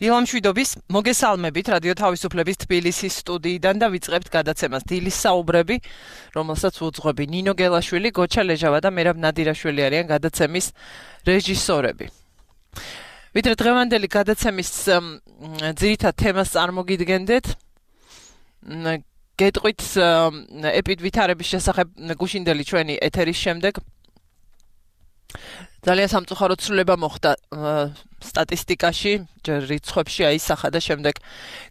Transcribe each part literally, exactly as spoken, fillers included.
დილამ შვიდობის მოგესალმებით რადიო თავისუფლების თბილისის სტუდიიდან და ვიწყებთ გადაცემას დილის საუბრები, რომელსაც უძღვები ნინო გელაშვილი, გოჩა ლეჟავა და მერაბ ნადირაშვილი არიან გადაცემის რეჟისორები. ვიდრე დღევანდელი გადაცემის ძირითად თემას წარმოგიდგენდეთ, გეტყვით ეპიდვითარების შესახებ გუშინდელი ჩვენი ეთერის შემდეგ ძალიან სამწუხაროდ ცვლილება მოხდა სტატისტიკაში, ჯერ რიცხვებში აისახა და შემდეგ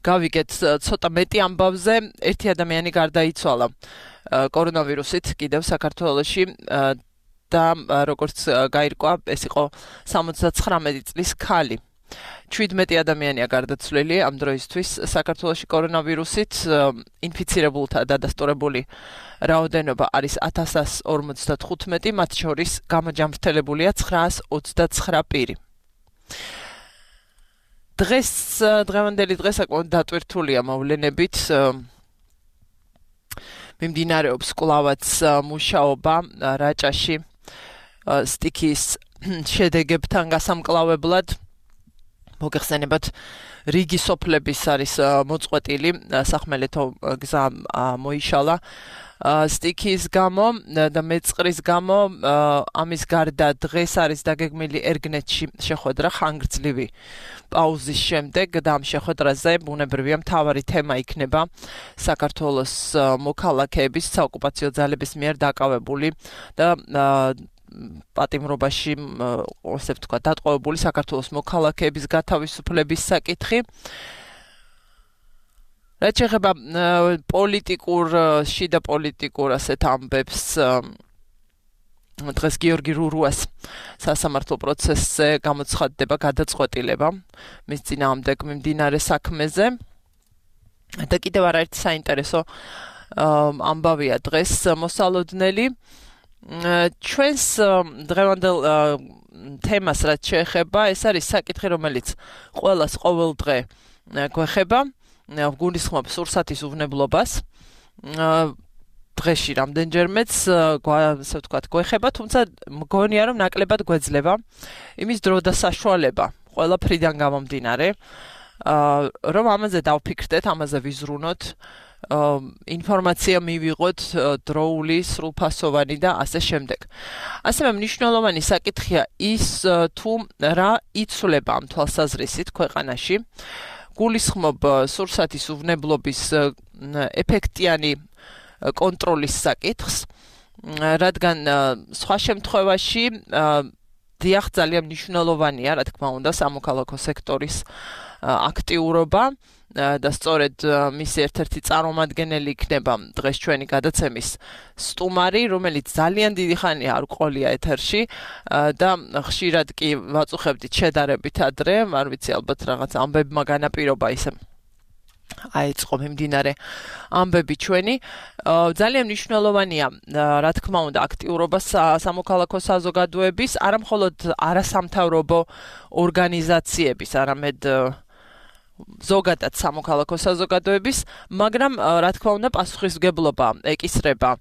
გავიგეთ ცოტა მეტი ამბავზე, ერთი ადამიანი გარდაიცვალა კორონავირუსით კიდევ საქართველოში და როგორც გაირკვა, ეს იყო სამოცდაცხრამეტი წლის ქალი. ჩვიდმეტი ადამიანია გარდაცვლილი ამ დროისთვის საქართველოში კორონავირუსით, ინფიცირებულთა დადასტურებული რაოდენობა არის ათას ორმოცდათხუთმეტი, მათ შორის გამოჯამრთელებულია ცხრაას ოცდაცხრა პირი. დღეს დღევანდელი დღე საკმაოდ დატვირთულია მოვლენებით. მიმდინარეობს კვლავაც მუშაობა რაჭაში სტიქიის შედეგებთან გასამკლავებლად. მოგეხსენებათ, რიგი სოფლების არის მოწყვეტილი, სახმელეთო გზა მოიშალა სტიქიის გამო და მეწყრის გამო. ამის გარდა დღეს არის დაგეგმილი ერგნეთში შეხვედრა ხანგრძლივი პაუზის შემდეგ და ამ შეხვედრაზე ბუნებრივია მთავარი თემა იქნება საქართველოს მოქალაქეების საოკუპაციო ძალების მიერ დაკავებული და პატიმრობაში, ასე ვთქვათ, დატყვევებული საქართველოს მოქალაქეების გათავისუფლების საკითხი. რაც შეეხება პოლიტიკურ, შიდა პოლიტიკურ ასეთ ამბებს, დღეს გიორგი რურუას სასამართლო პროცესზე გამოცხადდება გადაწყვეტილება მის წინააღმდეგ მიმდინარე საქმეზე. და კიდევ არაერთი საინტერესო ამბავია დღეს მოსალოდნელი. ჩვენს დღევანდელ თემას რაც შეეხება, ეს არის საკითხი, რომელიც ყველას ყოველ დღე გვეხება, გულისხმობ სურსათის უვნებლობას. დღეში რამდენჯერმეც ასე ვთქვათ გვეხება, თუმცა მგონია რომ ნაკლებად გვეძლება იმის დრო და საშუალება ყველაფრიდან გამომდინარე, რომ ამაზე დავფიქრდეთ, ამაზე ვიზრუნოთ, ინფორმაცია მივიღოთ დროული, სრულფასოვანი და ასე შემდეგ. ასევე მნიშვნელოვანი საკითხია ის, თუ რა იცვლება ამ თვალსაზრისით ქვეყანაში. გულისხმობ სურსათის უვნებლობის ეფექტიანი კონტროლის საკითხს, რადგან სხვა შემთხვევაში დიახ, ძალიან მნიშვნელოვანია, რა თქმა უნდა, სამოქალაქო სექტორის აქტიურობა და სწორედ მისი ერთ-ერთი წარმომადგენელი იქნება დღეს ჩვენი გადაცემის სტუმარი, რომელიც ძალიან დიდი ხანია არ ყოლია ეთერში და ხშირად კი ვაწუხებდით შედარებით ადრე, არ ვიცი, ალბათ რაღაც ამბებმა განაპირობა ისე აიწყო მიმდინარე ამბები ჩვენი. ძალიან მნიშვნელოვანია, რა თქმა უნდა, აქტიურობა სამოქალაქო საზოგადოების, არა მხოლოდ არასამთავრობო ორგანიზაციების, არამედ ზოგადად სამოქალაქო საზოგადოების, მაგრამ რა თქმა უნდა პასუხისმგებლობა ეკისრება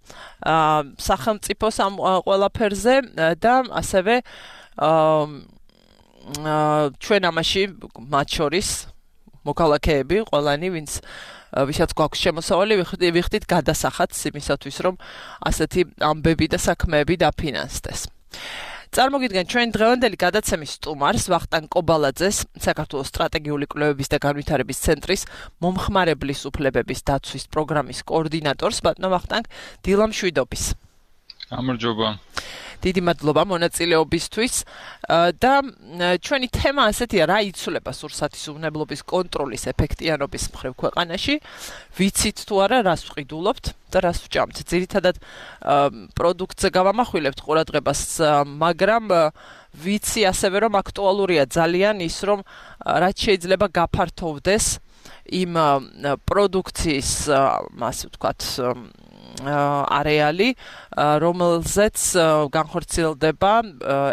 სახელმწიფოს ამ ყველაფერზე და ასევე ჩვენ ამაში მათ შორის მოქალაქეები, ყველანი, ვინც ვისაც გვაქვს შემოსავალი, ვიხდით გადასახადს იმისათვის, რომ ასეთი ამბები და საქმეები დაფინანსდეს. წარმოგიდგენთ ჩვენ დღევანდელი გადაცემის სტუმარს, ვახტანგ კობალაძეს, საქართველოს სტრატეგიული კვლევების და განვითარების ცენტრის მომხმარებლის უფლებების დაცვის პროგრამის კოორდინატორს, ბატონო ვახტანგ, დილამ შვიდობის. გამარჯობა. დიდი მადლობა მონაწილეობისთვის და ჩვენი თემა ასეთია, რა იცვლება სურსათის უვნებლობის კონტროლის ეფექტიანობის მხრივ ქვეყანაში. ვიცით თუ არა, რას ვყიდულობთ და რას ვჭამთ. ძირითადად პროდუქტზე გავამახვილებთ ყურადღებას, მაგრამ ვიცი ასევე, რომ აქტუალურია ძალიან ის, რომ რაც შეიძლება გაფართოვდეს იმ პროდუქციის, ასე ვთქვათ, არეალი, რომელზეც განხორციელდება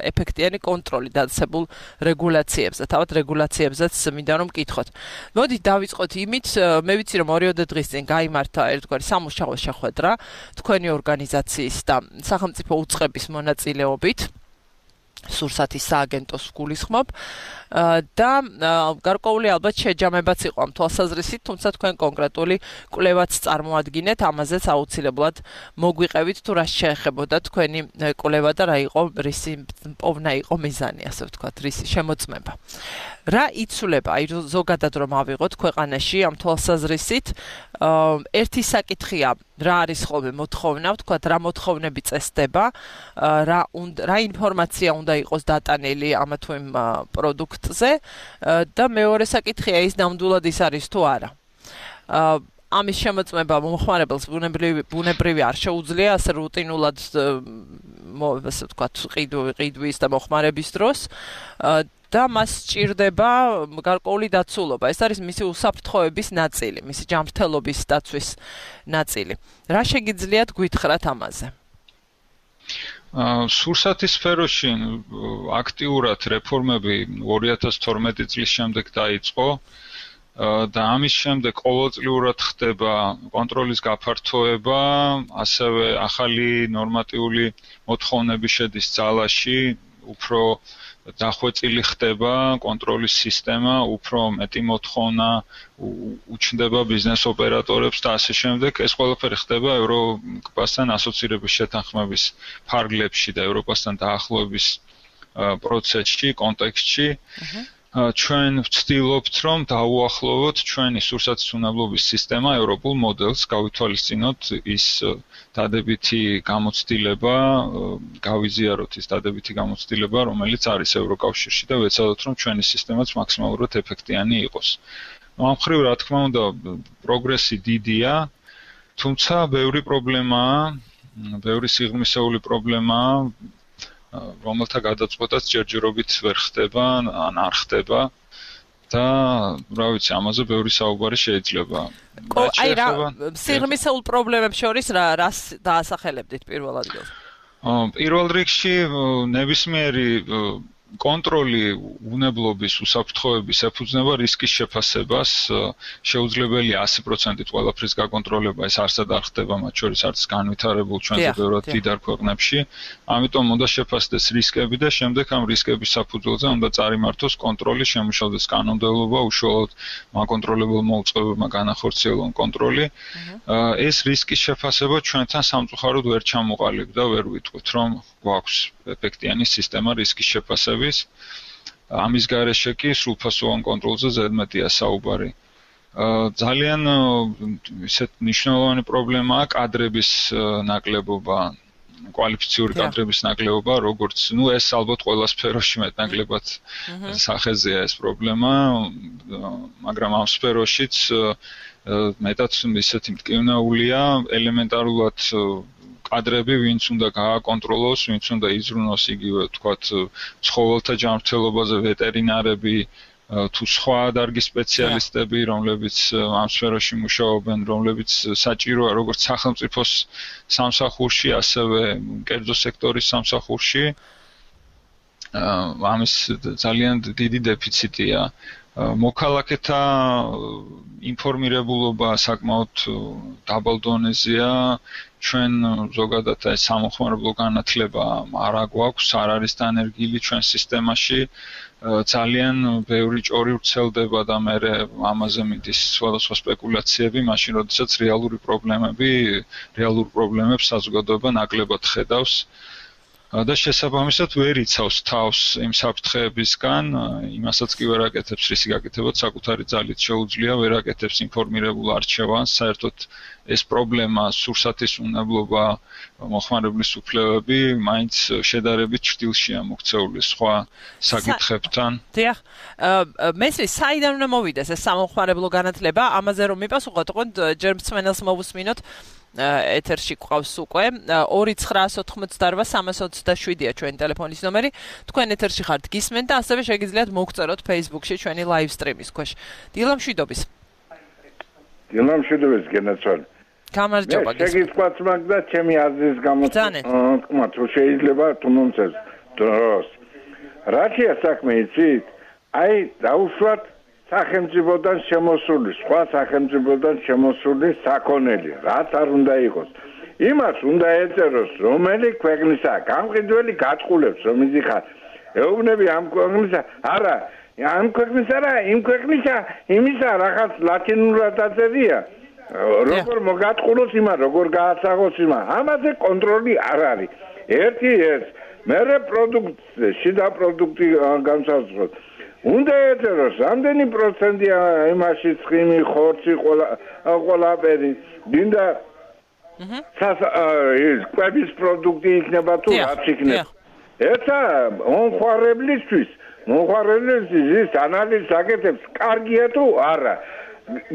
ეფექტიანი კონტროლი დაწესებულ რეგულაციებზე. თავად რეგულაციებზეც მინდა რომ მკითხოთ. მოდით დავიწყოთ იმით, მე ვიცი რომ ორიოდე დღის წინ გაიმართა ერთგვარი სამუშაო შეხვედრა თქვენი ორგანიზაციის და სახელმწიფო უწყების მონაწილეობით. სურსათის სააგენტოს გულისხმობ და გარკვეული ალბათ შეჯამებაც იყო ამ თვალსაზრისით, თუმცა თქვენ კონკრეტული კვლევაც წარმოადგინეთ, ამაზეც აუცილებლად მოგვიყევით თუ რა შეეხებოდა თქვენი კვლევა და რა იყო რისი პოვნა იყო მიზანი, ასე ვთქვათ, რისი შემოწმება. რა იცვლება, აი ზოგადად რომ ავიღოთ ქვეყანაში ამ თვალსაზრისით, ერთი საკითხია, რა არის ხოლმე მოთხოვნა, ვთქვათ, რა მოთხოვნები წესდება, რა რა ინფორმაცია უნდა იყოს დატანილი ამა თუ იმ პროდუქტზე და მეორე საკითხია ის ნამდვილად ის არის თუ არა. ამის შემოწმება მომხმარებელს ბუნებრივი არ შეუძლია ასე რუტინულად ასე ვთქვათ ყიდვის და მოხმარების დროს და მას სჭირდება გარკვეული დაცულობა. ეს არის მისი უსაფრთხოების ნაწილი, მისი ჯანმრთელობის დაცვის ნაწილი. რა შეგიძლიათ გვითხრათ ამაზე? სურსათის სფეროში აქტიურად რეფორმები ორი ათას თორმეტი წლის შემდეგ დაიწყო და ამის შემდეგ ყოველწლიურად ხდება კონტროლის გაფართოება, ასევე ახალი ნორმატიული მოთხოვნები შედის ძალაში, უფრო დახვეწილი ხდება კონტროლის სისტემა, უფრო მეტი მოთხოვნა უჩნდება ბიზნეს ოპერატორებს და ასე შემდეგ. ეს ყველაფერი ხდება ევროპასთან ასოცირების შეთანხმების ფარგლებში და ევროპასთან დაახლოების პროცესში, კონტექსტში. ჩვენ ვცდილობთ, რომ დავუახლოვოთ ჩვენი სურსათის უნებლობის სისტემა ევროპულ მოდელს, გავითვალისწინოთ ის დადებითი გამოცდილება, გავიზიაროთ ის დადებითი გამოცდილება, რომელიც არის ევროკავშირში და ვეცადოთ, რომ ჩვენი სისტემაც მაქსიმალურად ეფექტიანი იყოს. ამ მხრივ, რა თქმა უნდა, პროგრესი დიდია, თუმცა ბევრი პრობლემაა, ბევრი სიღრმისეული პრობლემაა, რომელთა გადაწყვეტაც ჯერჯერობით ვერ ხდება, ან არ ხდება და რა ვიცი, ამაზე ბევრი საუბარი შეიძლება. აი რა, სიღრმისეულ პრობლემებს შორის რა რას დაასახელებდით პირველ ადგილს? პირველ რიგში ნებისმიერი კონტროლი უნებლობის უსაფრთხოების ეფუძნება რისკის შეფასებას, შეუძლებელია ასი პროცენტით ყველაფრის გაკონტროლება, ეს არსად არ ხდება, მათ შორის არც განვითარებულ ჩვენზე ბევრად დიდარ ქვეყნებში. ამიტომ უნდა შეფასდეს რისკები და შემდეგ ამ რისკების საფუძველზე უნდა წარიმართოს კონტროლი, შემუშავდეს კანონმდებლობა, უშუალოდ მაკონტროლებელ მოუწყებებმა განახორციელონ კონტროლი. ეს რისკის შეფასება ჩვენთან სამწუხაროდ ვერ ჩამოყალიბდა, ვერ ვიტყვით, რომ გვაქვს ეფექტიანი სისტემა რისკის შეფასების. ამის გარეშე კი სრულფასოვან კონტროლზე ზედმეტია საუბარი. ძალიან ისეთ მნიშვნელოვანი პრობლემაა კადრების ნაკლებობა, კვალიფიციური კადრების ნაკლებობა, როგორც, ну, ეს ალბათ ყველა სფეროში მეტნაკლებად სახეზეა ეს პრობლემა, მაგრამ ამ სფეროშიც მეტად ისეთი მტკივნეულია, ელემენტარულად კადრები, ვინც უნდა გააკონტროლოს, ვინც უნდა იზრუნოს იგივე, თქვათ, ცხოველთა ჯანმრთელობაზე ვეტერინარები, თუ სხვა დარგის სპეციალისტები, რომლებიც ამ სფეროში მუშაობენ, რომლებიც საჭიროა როგორც სახელმწიფოს სამსახურში, ასევე კერძო სექტორის სამსახურში. ამის ძალიან დიდი დეფიციტია. მოქალაქეთა ინფორმირებულობა საკმაოდ დაბალ დონეზეა. ჩვენ ზოგადად ეს სამოხმარებლო განათლება არ აგვაქვს, არ არის დანერგილი ჩვენ სისტემაში. ძალიან ბევრი ჭორი ვრცელდება და მე ამაზე მიდის სხვადასხვა სპეკულაციები, მაშინ როდესაც რეალური პრობლემები, რეალურ პრობლემებს საზოგადოება ნაკლებად ხედავს. და შესაბამისად ვერ იცავს თავს იმ საფრთხეებისგან, იმასაც კი ვერ აკეთებს, რისი გაკეთებაც საკუთარი ძალით შეუძლია, ვერ აკეთებს ინფორმირებულ არჩევანს, საერთოდ ეს პრობლემა, სურსათის უნებლობა, მოხმარებლის უფლებები, მაინც შედარებით ჭრილშია მოქცეული სხვა საკითხებთან. დიახ, მესმის, საიდან უნდა მოვიდეს ეს სამოხმარებლო განათლება, ამაზე რომ მიპასუხოთ, ოღონდ ჯერ მსმენელს მოვუსმინოთ. ეთერში ყავს უკვე ორი ცხრაასი ოთხმოცდაორვა სამას ოცდაშვიდია ჩვენი ტელეფონის ნომერი. თქვენ ეთერში ხართ გისმენთ და ასევე შეგიძლიათ მოგწეროთ Facebook-ში ჩვენი live stream-ის ქვეშ. დილა მშვიდობის. დილა მშვიდობის გენაცვალ. გამარჯობა გისმენთ. შეგიძლიათ მაგდა ჩემი აზრის გამოცემა თუ შეიძლება თუ მომწევს დროს. რაშია საქმე იცით? აი დაუშვათ სახელმწიფოდან შემოსული, სხვა სახელმწიფოდან შემოსული საქონელი, რაც არ უნდა იყოს. იმას უნდა ეწეროს, რომელი ქვეყნისაა, გამყიდველი გაწყულებს, რომ იზიხარ. ეუბნები ამ ქვეყნისა, არა, ამ ქვეყნისა რა, იმ ქვეყნისა, იმისა რაღაც ლათინურად დაწერია. როგორ მოგატყუროს იმა, როგორ გააცაღოს იმა. ამაზე კონტროლი არ არის. ერთი ეს, მერე პროდუქტი, შიდა პროდუქტი განსაზღვროთ. უნდა ეწეროს, რამდენი პროცენტია იმაში ცხიმი, ხორცი, ყველა ყველაფერი. დინდა ის კვების პროდუქტი იქნება თუ რაც იქნება. ერთა მომხმარებლისთვის, მომხმარებლისთვის ის ანალიზს აკეთებს, კარგია თუ არა.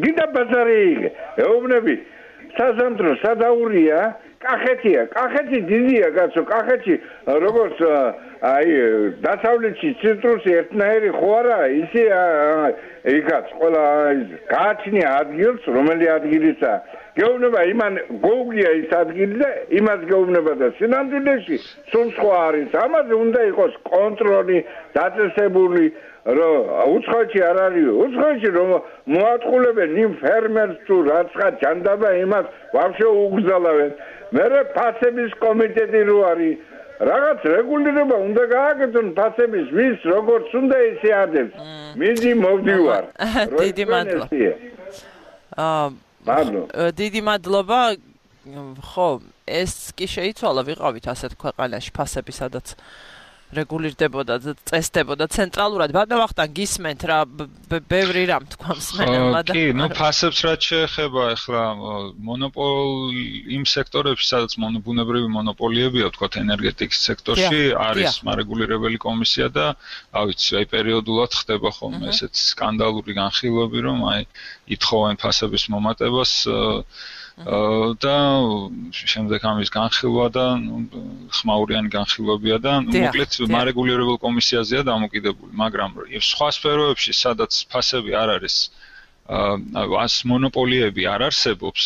გინდა ბაზარი იგე. ეუბნები, საზამთრო სადაურია, კახეთია, კახეთი დიდია კაცო, კახეთი როგორც აი დასავლეთში ციტრუსი ერთნაირი ხო არა, ისე იქაც ყველა გააჩნია ადგილს, რომელი ადგილისა. გეუბნება იმან გოუგია ის ადგილი და იმას გეუბნება და სინამდვილეში სულ სხვა არის. ამაზე უნდა იყოს კონტროლი, დაწესებული, რომ უცხოეთში არ არის, უცხოეთში რომ მოატყულებენ იმ ფერმერს თუ რაცხა ჯანდაბა იმას ვაფშე უგზალავენ. მერე ფასების კომიტეტი რო არის, რაღაც რეგულირება უნდა გააკეთონ ფასების, ვის როგორც უნდა ისე ადებს. მიდი მოვდივარ. დიდი მადლობა. აა დიდი მადლობა. ხო, ეს კი შეიცვალა, ვიყავით ასეთ ქვეყანაში ფასები, სადაც რეგულირდებოდა და წესდებოდა ცენტრალურად. ბატონო ვახტანგ გისმენთ რა ბევრი რამ თქვა მსმენელმა და კი, ნუ ფასებს რაც შეეხება ახლა მონოპოლ იმ სექტორებში, სადაც ბუნებრივი მონოპოლიებია, თქვათ ენერგეტიკის სექტორში, არის მარეგულირებელი კომისია და რა ვიცი, აი პერიოდულად ხდება ხოლმე ესეთ სკანდალური განხილვები, რომ აი ითხოვენ ფასების მომატებას და შემდეგ ამის განხილვა და ხმაურიანი განხილვებია და მოკლედ მარეგულირებელ კომისიაზეა დამოკიდებული, მაგრამ სხვა სფეროებში, სადაც ფასები არ არის, ას მონოპოლიები არ არსებობს,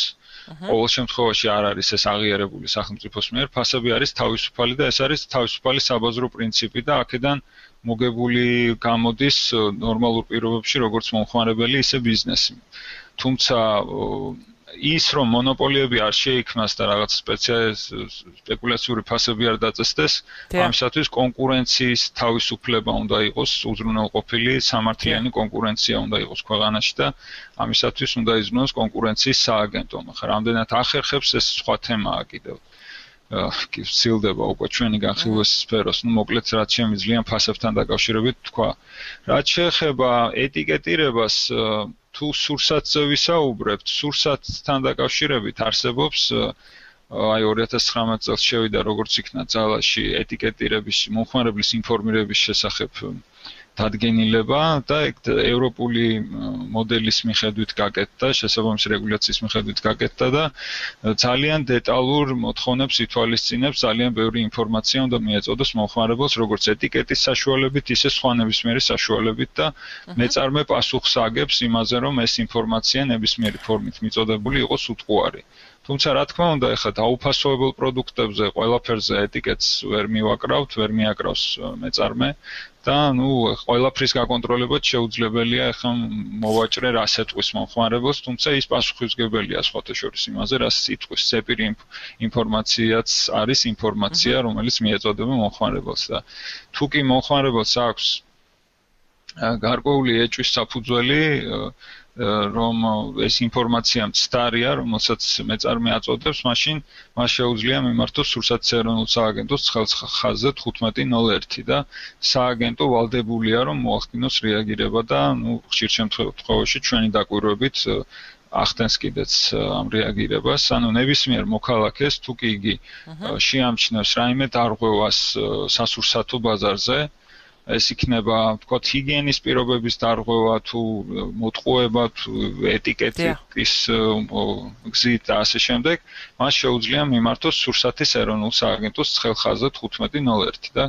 ყოველ შემთხვევაში არ არის ეს აღიარებული სახელმწიფოს მიერ, ფასები არის თავისუფალი და ეს არის თავისუფალი საბაზრო პრინციპი და აქედან მოგებული გამოდის ნორმალურ პირობებში როგორც მომხმარებელი, ისე ბიზნესი. თუმცა ის რომ მონოპოლიები არ შეიქმნას და რაღაც სპეკულაციური ფასები არ დაწესდეს, ამისათვის კონკურენციის თავისუფლება უნდა იყოს, უზრუნველყოფილი სამართლიანი კონკურენცია უნდა იყოს ქვეყანაში და ამისათვის უნდა იზრუნოს კონკურენციის სააგენტო. მაგრამ რამდენად ახერხებს ეს სხვა თემაა კიდევ. კი ვცილდება უკვე ჩვენი განხილვის სფეროს, ნუ მოკლედ რაც შემიძლია ფასებთან დაკავშირებით თქვა. რაც შეეხება ეტიკეტირებას, თუ სურსათზე ვისაუბრებთ, სურსათთან დაკავშირებით არსებობს აი ორი ათას ცხრამეტ წელს შევიდა როგორც იქნა ძალაში ეტიკეტირების მომხმარებლის ინფორმირების შესახებ დადგენილება და ევროპული მოდელის მიხედვით გაკეთდა, შესაბამისი რეგულაციის მიხედვით გაკეთდა და ძალიან დეტალურ მოთხოვნებს ითვალისწინებს, ძალიან ბევრი ინფორმაცია უნდა მიეწოდოს მომხმარებელს, როგორც ეტიკეტის საშუალებით, ისე სხვა ნებისმიერი საშუალებით და მეწარმე პასუხს აგებს იმაზე, რომ ეს ინფორმაცია ნებისმიერი ფორმით მიწოდებული იყოს უტყუარი. თუმცა რა თქმა უნდა, ეხლა დაუფასოებელ პროდუქტებზე ყველაფერზე ეტიკეტს ვერ მივაკრავთ, ვერ მიაკრავს მეწარმე და ნუ ყველაფრის გაკონტროლებად შეუძლებელია ეხლა მოვაჭრე რას ეტყვის მომხმარებელს, თუმცა ის პასუხისმგებელია სხვათა შორის იმაზე, რას იტყვის. ზეპირი ინფორმაციაც არის ინფორმაცია, რომელიც მიეწოდება მომხმარებელს და თუ კი მომხმარებელს აქვს გარკვეული ეჭვის საფუძველი, რომ ეს ინფორმაცია მცდარია, რომელსაც მეწარმე აწოდებს, მაშინ მას შეუძლია მიმართოს სურსათის ეროვნულ სააგენტოს ხაზზე თხუთმეტი ნოლ ერთი და სააგენტო ვალდებულია, რომ მოახდინოს რეაგირება და ნუ ხშირ შემთხვევაში ჩვენი დაკვირვებით ახდენს კიდეც ამ რეაგირებას, ანუ ნებისმიერ მოქალაქეს თუ კი იგი შეამჩნევს რაიმე დარღვევას სასურსათო ბაზარზე, ეს იქნება, ვთქვათ, ჰიგიენის პირობების დარღვევა თუ მოტყუება თუ ეტიკეტის გზით და ასე შემდეგ, მას შეუძლია მიმართოს სურსათის ეროვნულ სააგენტოს ცხელხაზზე თხუთმეტი ნოლ ერთი და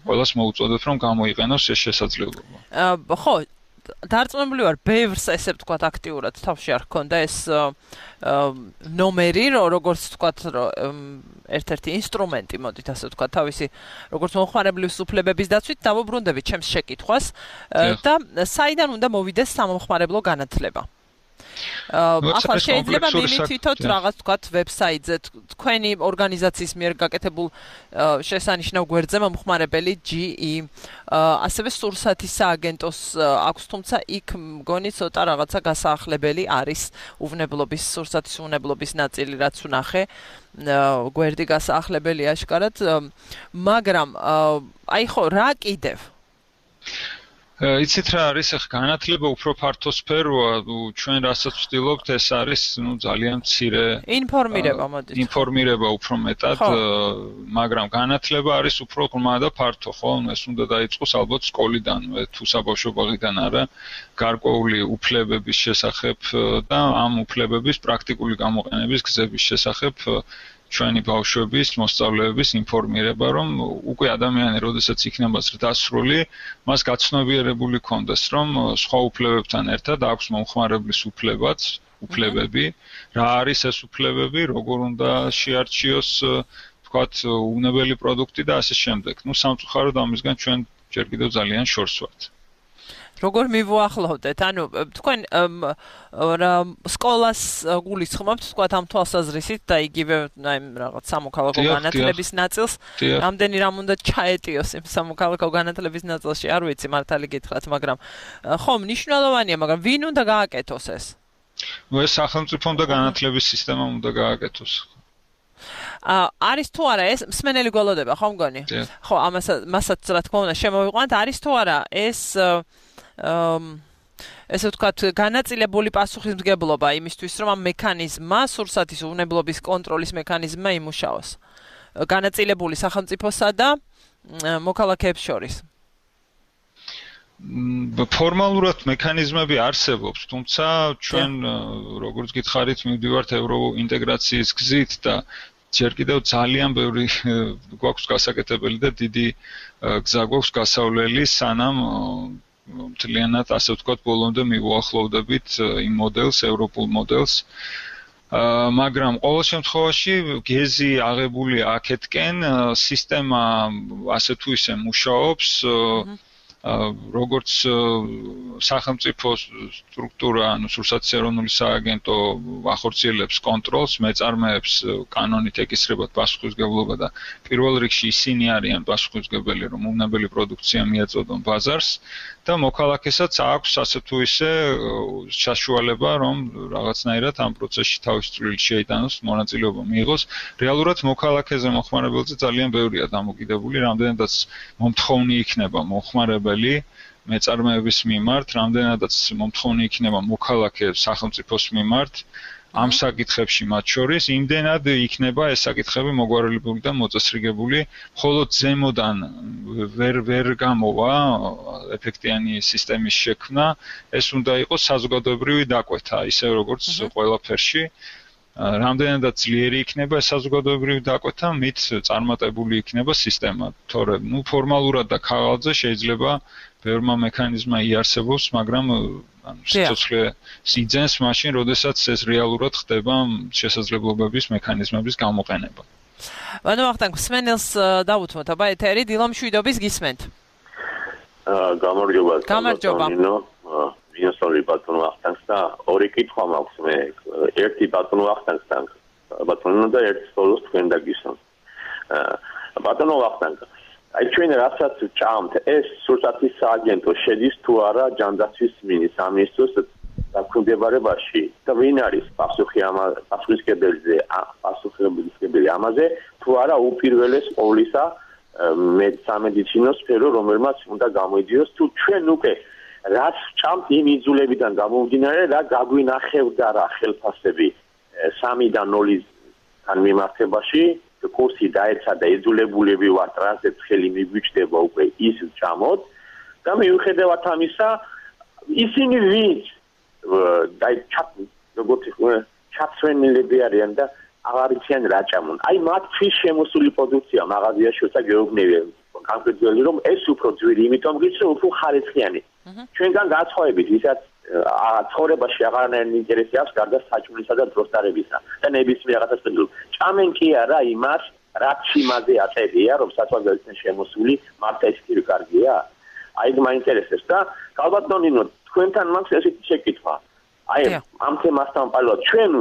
ყველას მოუწოდოთ, რომ გამოიყენოს ეს შესაძლებლობა. ხო, დარწმუნებული ვარ, ბევრს ესე ვთქვათ აქტიურად თავში არ ქონდა ეს ნომერი, როგორც ვთქვათ, ერთ-ერთი ინსტრუმენტი, მოდით ასე ვთქვათ, თავისი როგორც მომხმარებლის უფლებების დაცვით დავუბრუნდებით ჩემს შეკითხვას და საიდან უნდა მოვიდეს სამომხმარებლო განათლება. ახლა შეიძლება მიმითითოთ რაღაც თქვათ ვებსაიტზე თქვენი ორგანიზაციის მიერ გაკეთებულ შესანიშნავ გვერდზე მომხმარებელი ჯი ი ასევე სურსათის სააგენტოს აქვს, თუმცა იქ მგონი ცოტა რაღაცა გასაახლებელი არის უვნებლობის სურსათის უვნებლობის ნაწილი რაც ვნახე გვერდი გასაახლებელი აშკარად, მაგრამ აი ხო რა კიდევ იცით რა არის ახლა განათლება უფრო ფართო სფეროა, ჩვენ რასაც ვცდილობთ ეს არის ნუ ძალიან მცირე ინფორმირება მოდით. ინფორმირება უფრო მეტად, მაგრამ განათლება არის უფრო ღრმა და ფართო, ხო? ეს უნდა დაიწყოს ალბათ სკოლიდანვე, თუ საბავშვო ბაღიდან არა, გარკვეული უფლებების შესახებ და ამ უფლებების პრაქტიკული გამოყენების გზების შესახებ ჩვენი ბავშვების, მოსწავლეების ინფორმირება, რომ უკვე ადამიანი, როდესაც იქნება ზრდასრული, მას გაცნობიერებული ქონდეს, რომ სხვა უფლებებთან ერთად აქვს მომხმარებლის უფლებაც, უფლებები, რა არის ეს უფლებები, როგორ უნდა შეარჩიოს, თქვათ, უვნებელი პროდუქტი და ასე შემდეგ. ნუ სამწუხაროდ ამისგან ჩვენ ჯერ კიდევ ძალიან შორს ვართ. როგორ მივუახლოვდეთ? ანუ თქვენ სკოლას გულისხმობთ, თქვათ ამ თვალსაზრისით და იგივე აი რაღაც სამოქალაქო განათლების ნაწილს, რამდენი რამ უნდა ჩაეტიოს იმ სამოქალაქო განათლების ნაწილში, არ ვიცი მართალი გითხრათ, მაგრამ ხო, მნიშვნელოვანია, მაგრამ ვინ უნდა გააკეთოს ეს? ნუ ეს სახელმწიფომ და განათლების სისტემამ უნდა გააკეთოს. არის თუ არა ეს მსმენელი გველოდება, ხო მგონი? ხო, ამას მასაც რა თქმა უნდა შემოვიყვანთ, არის თუ არა ეს ესე ვთქვათ, განაწილებული პასუხისმგებლობა იმისთვის, რომ ამ მექანიზმმა, სურსათის უვნებლობის კონტროლის მექანიზმმა იმუშაოს. განაწილებული სახელმწიფოსა და მოქალაქეებს შორის. ფორმალურად მექანიზმები არსებობს, თუმცა ჩვენ როგორც გითხარით, მივდივართ ევროინტეგრაციის გზით და ჯერ კიდევ ძალიან ბევრი გვაქვს გასაკეთებელი და დიდი გზა გვაქვს გასავლელი, სანამ მთლიანად ასე ვთქვათ, ბოლომდე მივუახლოვდებით იმ მოდელს, ევროპულ მოდელს. მაგრამ ყოველ შემთხვევაში გეზი აღებული აქეთკენ, სისტემა ასე თუ ისე მუშაობს, როგორც სახელმწიფო სტრუქტურა, ანუ სურსათის ეროვნული სააგენტო ახორციელებს კონტროლს, მეწარმეებს კანონით ეკისრებათ პასუხისმგებლობა და პირველ რიგში ისინი არიან პასუხისმგებელი, რომ უვნებელი პროდუქცია მიაწოდონ ბაზარს და მოქალაქესაც აქვს ასე თუ ისე საშუალება, რომ რაღაცნაირად ამ პროცესში თავის წვლილი შეიტანოს, მონაწილეობა მიიღოს. რეალურად მოქალაქეზე მოხმარებელზე ძალიან ბევრია დამოკიდებული, რამდენადაც მომთხოვნი იქნება მოხმარებელი მეწარმეების მიმართ, რამდენადაც მომთხოვნი იქნება მოქალაქე სახელმწიფოს მიმართ ამ საკითხებში მათ შორის, იმდენად იქნება ეს საკითხები მოგვარებული და მოწესრიგებული, მხოლოდ ზემოდან ვერ ვერ გამოვა ეფექტიანი სისტემის შექმნა, ეს უნდა იყოს საზოგადოებრივი დაკვეთა, ისე როგორც ყველაფერში. რამდენადაც ძლიერი იქნება ეს საზოგადოებრივი დაკვეთა, მით წარმატებული იქნება სისტემა, თორემ ნუ ფორმალურად და ქაღალდზე შეიძლება ბევრმა მექანიზმა იარსებობს, მაგრამ ანუ სიცოცხლე იძენს მაშინ, როდესაც ეს რეალურად ხდება შესაძლებლობების მექანიზმების გამოყენება. ანუ ახლა მსმენელს დავუთმოთ, აბა ეთერი დილამ შვიდობის გისმენთ. გამარჯობა. გამარჯობა. ვინსოლი ბატონო ახთანს და ორი კითხვა მაქვს მე. ერთი ბატონო ახთანს და ბატონო და ერთი სოლოს თქვენ დაგისვამ. ბატონო ახთანს აი ჩვენ რასაც ჭამთ, ეს სურსათის სააგენტო შედის თუ არა ჯანდაცვის სამინისტროს დაქვემდებარებაში და ვინ არის პასუხი ამ პასუხისმგებელზე, პასუხისმგებელი ამაზე, თუ არა უპირველეს ყოვლისა სამედიცინო სფერო, რომელმაც უნდა გამოიდიოს, თუ ჩვენ უკვე რაც ჭამთ იმ იძულებიდან გამომდინარე, რა გაგვინახევდა რა ხელფასები სამიდან ნოლისთან მიმართებაში, კურსი დაეცა და იძულებულები ვართ, რასაც ხელი მიგვიჭდება უკვე ის ჭამოთ და მიუხედავად ამისა, ისინი ვინც დაი როგორც ჩაცვენილები არიან და აღარ იციან რა ჭამონ. აი მათთვის შემოსული პროდუქცია მაღაზიაში როცა გეუბნებიან კონკრეტულად რომ ეს უფრო ძვირი, იმიტომ გიცი უფრო ხარისხიანი. ჩვენგან გაცხოვებით, ვისაც ცხოვრებაში აღარანაირი ინტერესი აქვს გარდა საჭმელისა და დროსტარებისა და ნებისმიერ რაღაცას პენდულ. ჭამენ კი არა იმას, რაც იმაზე აწებია, რომ საწვავებელთან შემოსული მარტო ეს კი კარგია. აი მაინტერესებს და ალბათ ნინო თქვენთან მაქვს ესეთი შეკითხვა. აი ამ თემასთან პარალელურად ჩვენ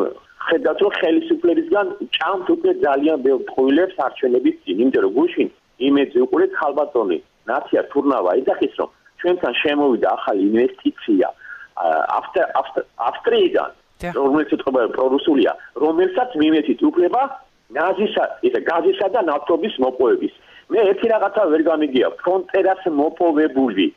ხედავთ რომ ხელისუფლებისგან ჭამთ უკვე ძალიან ბევრ ტყუილებს არჩევნების წინ, იმიტომ რომ გუშინ იმედზე უყურეთ ხალბატონი ნაცია თურნავა ეძახის რომ ჩვენთან შემოვიდა ახალი ინვესტიცია ავსტრიიდან, რომელიც ეთყობა პრორუსულია, რომელსაც მიმეცით უფლება გაზისა, ესე გაზისა და ნავთობის მოპოვების. მე ერთი რაღაცა ვერ გამიგია, ფრონტერას მოპოვებული,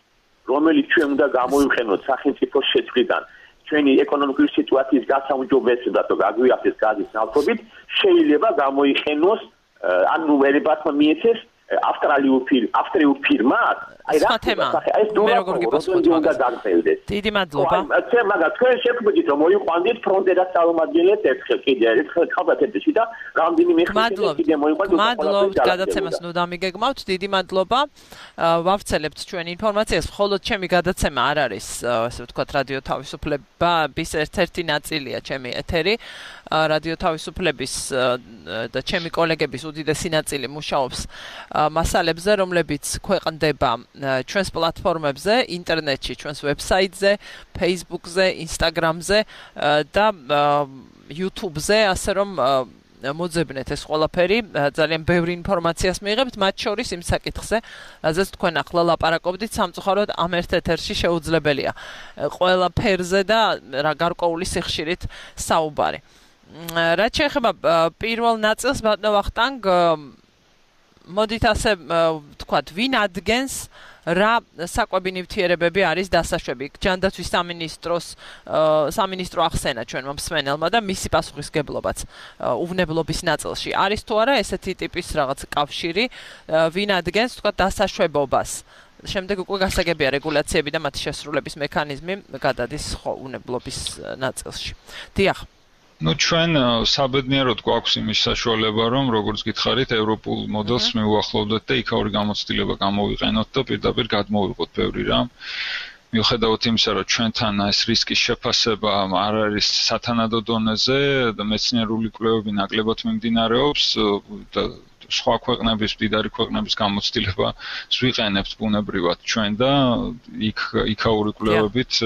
რომელიც ჩვენ უნდა გამოვიყენოთ სახელმწიფოს შეცვლიდან, ჩვენი ეკონომიკური სიტუაციის გასაუმჯობესებლად და გაგვიახდეს გაზის ნავთობით, შეიძლება გამოიყენოს ანუ ვერებათმა მიეცეს ავსტრალიურ ფირ ავსტრიულ ფირმას აი რა ეს როგორ გიპასუხოთ დაგწევდეს დიდი მადლობა აი მაგას თქვენ შეგვიძლია რომ მოიყვანდით ფრონტერას წარმომადგენლებს ერთხელ კიდე ერთხელ ხალხეთში და რამდენიმე ხელი კიდე მოიყვანთ მადლობთ გადაცემას ნუ დამიგეგმავთ დიდი მადლობა ვავრცელებთ ჩვენ ინფორმაციას მხოლოდ ჩემი გადაცემა არ არის ასე ვთქვათ რადიო თავისუფლების ერთ-ერთი ნაწილია ჩემი ეთერი რადიო თავისუფლების და ჩემი კოლეგების უდიდესი ნაწილი მუშაობს მასალებზე რომლებიც ქვეყნდება ჩვენს პლატფორმებზე, ინტერნეტში, ჩვენს ვებსაიტზე, Facebook-ზე, Instagram-ზე და YouTube-ზე, ასე რომ მოძებნეთ ეს ყველაფერი, ძალიან ბევრი ინფორმაციას მიიღებთ, მათ შორის იმ საკითხზე, რაზეც თქვენ ახლა ლაპარაკობდით, სამწუხაროდ ამ ერთ ეთერში შეუძლებელია ყველაფერზე და რა გარკვეული სიხშირით საუბარი. რაც შეეხება პირველ ნაწილს, ბატონო ვახტანგ, მოდით ასე ვთქვათ, ვინ ადგენს რა საკვები ნივთიერებები არის დასაშვები. ჯანდაცვის სამინისტროს სამინისტრო ახსენა ჩვენმა მსმენელმა და მისი პასუხისგებლობაც უვნებლობის ნაწილში. არის თუ არა ესეთი ტიპის რაღაც კავშირი, ვინ ადგენს ვთქვათ დასაშვებობას. შემდეგ უკვე გასაგებია რეგულაციები და მათი შესრულების მექანიზმი გადადის უვნებლობის ნაწილში. დიახ. ну ჩვენ საბედნიეროდ გვაქვს იმის საშუალება რომ როგორც გითხარით ევროპულ მოდელს მივუახლოვდეთ და იქაური გამოცდილება გამოვიყენოთ და პირდაპირ გადმოვიღოთ ბევრი რამ მიუხედავად იმისა რომ ჩვენთან ეს რისკის შეფასება არ არის სათანადო დონეზე და მეცნიერული კვლევები ნაკლებად მიმდინარეობს და სხვა ქვეყნების, მდიდარი ქვეყნების გამოცდილება ვიყენებთ ბუნებრივად ჩვენ და იქ იქაური კვლევებით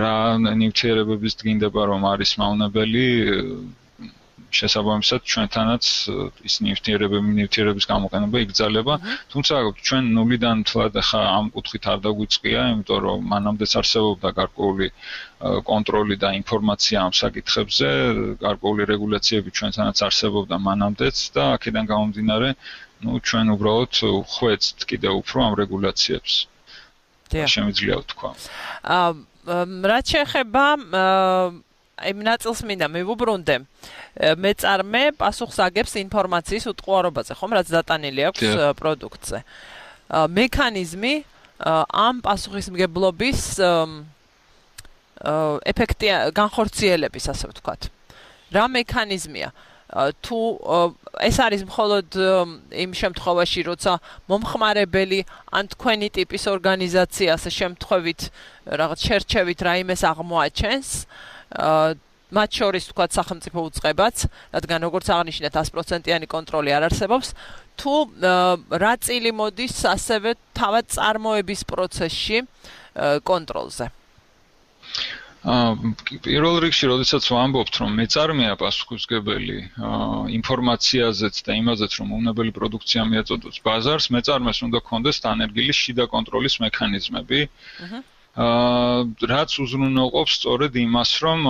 რა ნივთიერებების დგინდება რომ არის მავნებელი შესაბამისად ჩვენთანაც ის ნივთიერებები ნივთიერების გამოყენება იგრძელება თუმცა ჩვენ ნულიდან თლად ახლა ამ კუთხით არ დაგვიწყია იმიტომ რომ მანამდეც არსებობდა გარკვეული კონტროლი და ინფორმაცია ამ საკითხებზე გარკვეული რეგულაციები ჩვენთანაც არსებობდა მანამდეც და აქედან გამომდინარე ну ჩვენ უბრალოდ ხვეწთ კიდევ უფრო ამ რეგულაციებს შემიძლია ვთქვა რაც შეეხება იმ ნაწილს მინდა მივუბრუნდე მეწარმე პასუხს აგებს ინფორმაციის უტყუარობაზე ხომ რაც დატანილი აქვს პროდუქტზე მექანიზმი ამ პასუხისმგებლობის ეფექტი განხორციელების ასე ვთქვათ რა მექანიზმია თუ ეს არის მხოლოდ იმ შემთხვევაში როცა მომხმარებელი ან თქვენი ტიპის ორგანიზაცია ასე შემთხვევით რაღაც შერჩევით რაიმეს აღმოაჩენს მათ შორის თქვათ სახელმწიფო უწყებაც, რადგან როგორც აღნიშნეთ sto პროცენტიანი კონტროლი არ არსებობს, თუ რა წილი მოდის ასევე თავად წარმოების პროცესში კონტროლზე. პირველ რიგში, როდესაც ვამბობთ, რომ მეწარმეა პასუხისმგებელი ინფორმაციაზეც და იმაზეც, რომ უვნებელი პროდუქცია მიაწოდოს ბაზარს, მეწარმეს უნდა ქონდეს დანერგილი შიდა კონტროლის მექანიზმები. რაც უზრუნველყოფს სწორედ იმას, რომ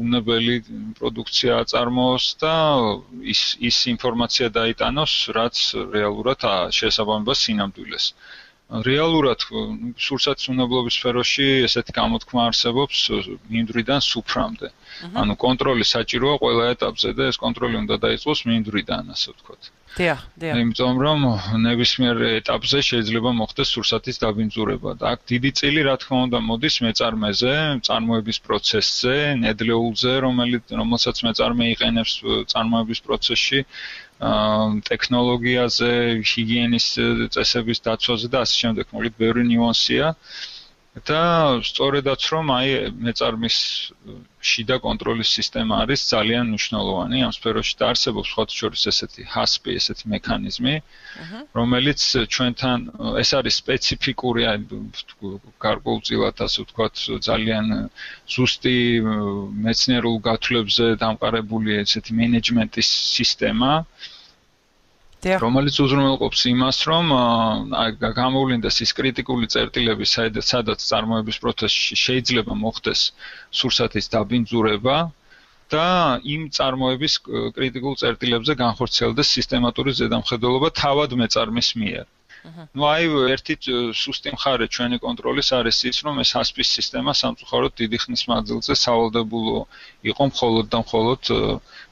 უვნებელი პროდუქცია აწარმოოს და ის ის ინფორმაცია დაიტანოს, რაც რეალურად შესაბამებას სინამდვილეს. რეალურად სურსათის უვნებლობის სფეროში ესეთი გამოთქმა არსებობს მინდვრიდან სუფრამდე. ანუ კონტროლი საჭიროა ყველა ეტაპზე და ეს კონტროლი უნდა დაიწყოს მინდვრიდან, ასე ვთქვათ. დიახ, დიახ. იმიტომ რომ ნებისმიერ ეტაპზე შეიძლება მოხდეს სურსათის დაბინძურება და აქ დიდი წილი რა თქმა უნდა მოდის მეწარმეზე, წარმოების პროცესზე, ნედლეულზე, რომელიც რომელსაც მეწარმე იყენებს წარმოების პროცესში, ტექნოლოგიაზე, ჰიგიენის წესების დაცვაზე და ასე შემდეგ. მოკლედ ბევრი ნიუანსია. და სწორედაც რომ აი მეწარმის შიდა კონტროლის სისტემა არის ძალიან მნიშვნელოვანი ამ სფეროში და არსებობს სხვათა შორის ესეთი ჰასპი, ესეთი მექანიზმი, რომელიც ჩვენთან ეს არის სპეციფიკური გარკვეულწილად ასე ვთქვათ ძალიან ზუსტი მეცნიერულ გათვლებზე დამყარებული ესეთი მენეჯმენტის სისტემა რომელიც უზრუნველყოფს იმას, რომ გამოვლინდეს ის კრიტიკული წერტილები, სადაც წარმოების პროცესში შეიძლება მოხდეს სურსათის დაბინძურება და იმ წარმოების კრიტიკულ წერტილებზე განხორციელდეს სისტემატური ზედამხედველობა თავად მეწარმის მიერ. Ну, აი, ერთი სუსტი მხარე ჩვენი კონტროლის არის ის, რომ ეს ჰასპის სისტემა სამწუხაროდ დიდი ხნის მანძილზე სავალდებულო იყო მხოლოდ და მხოლოდ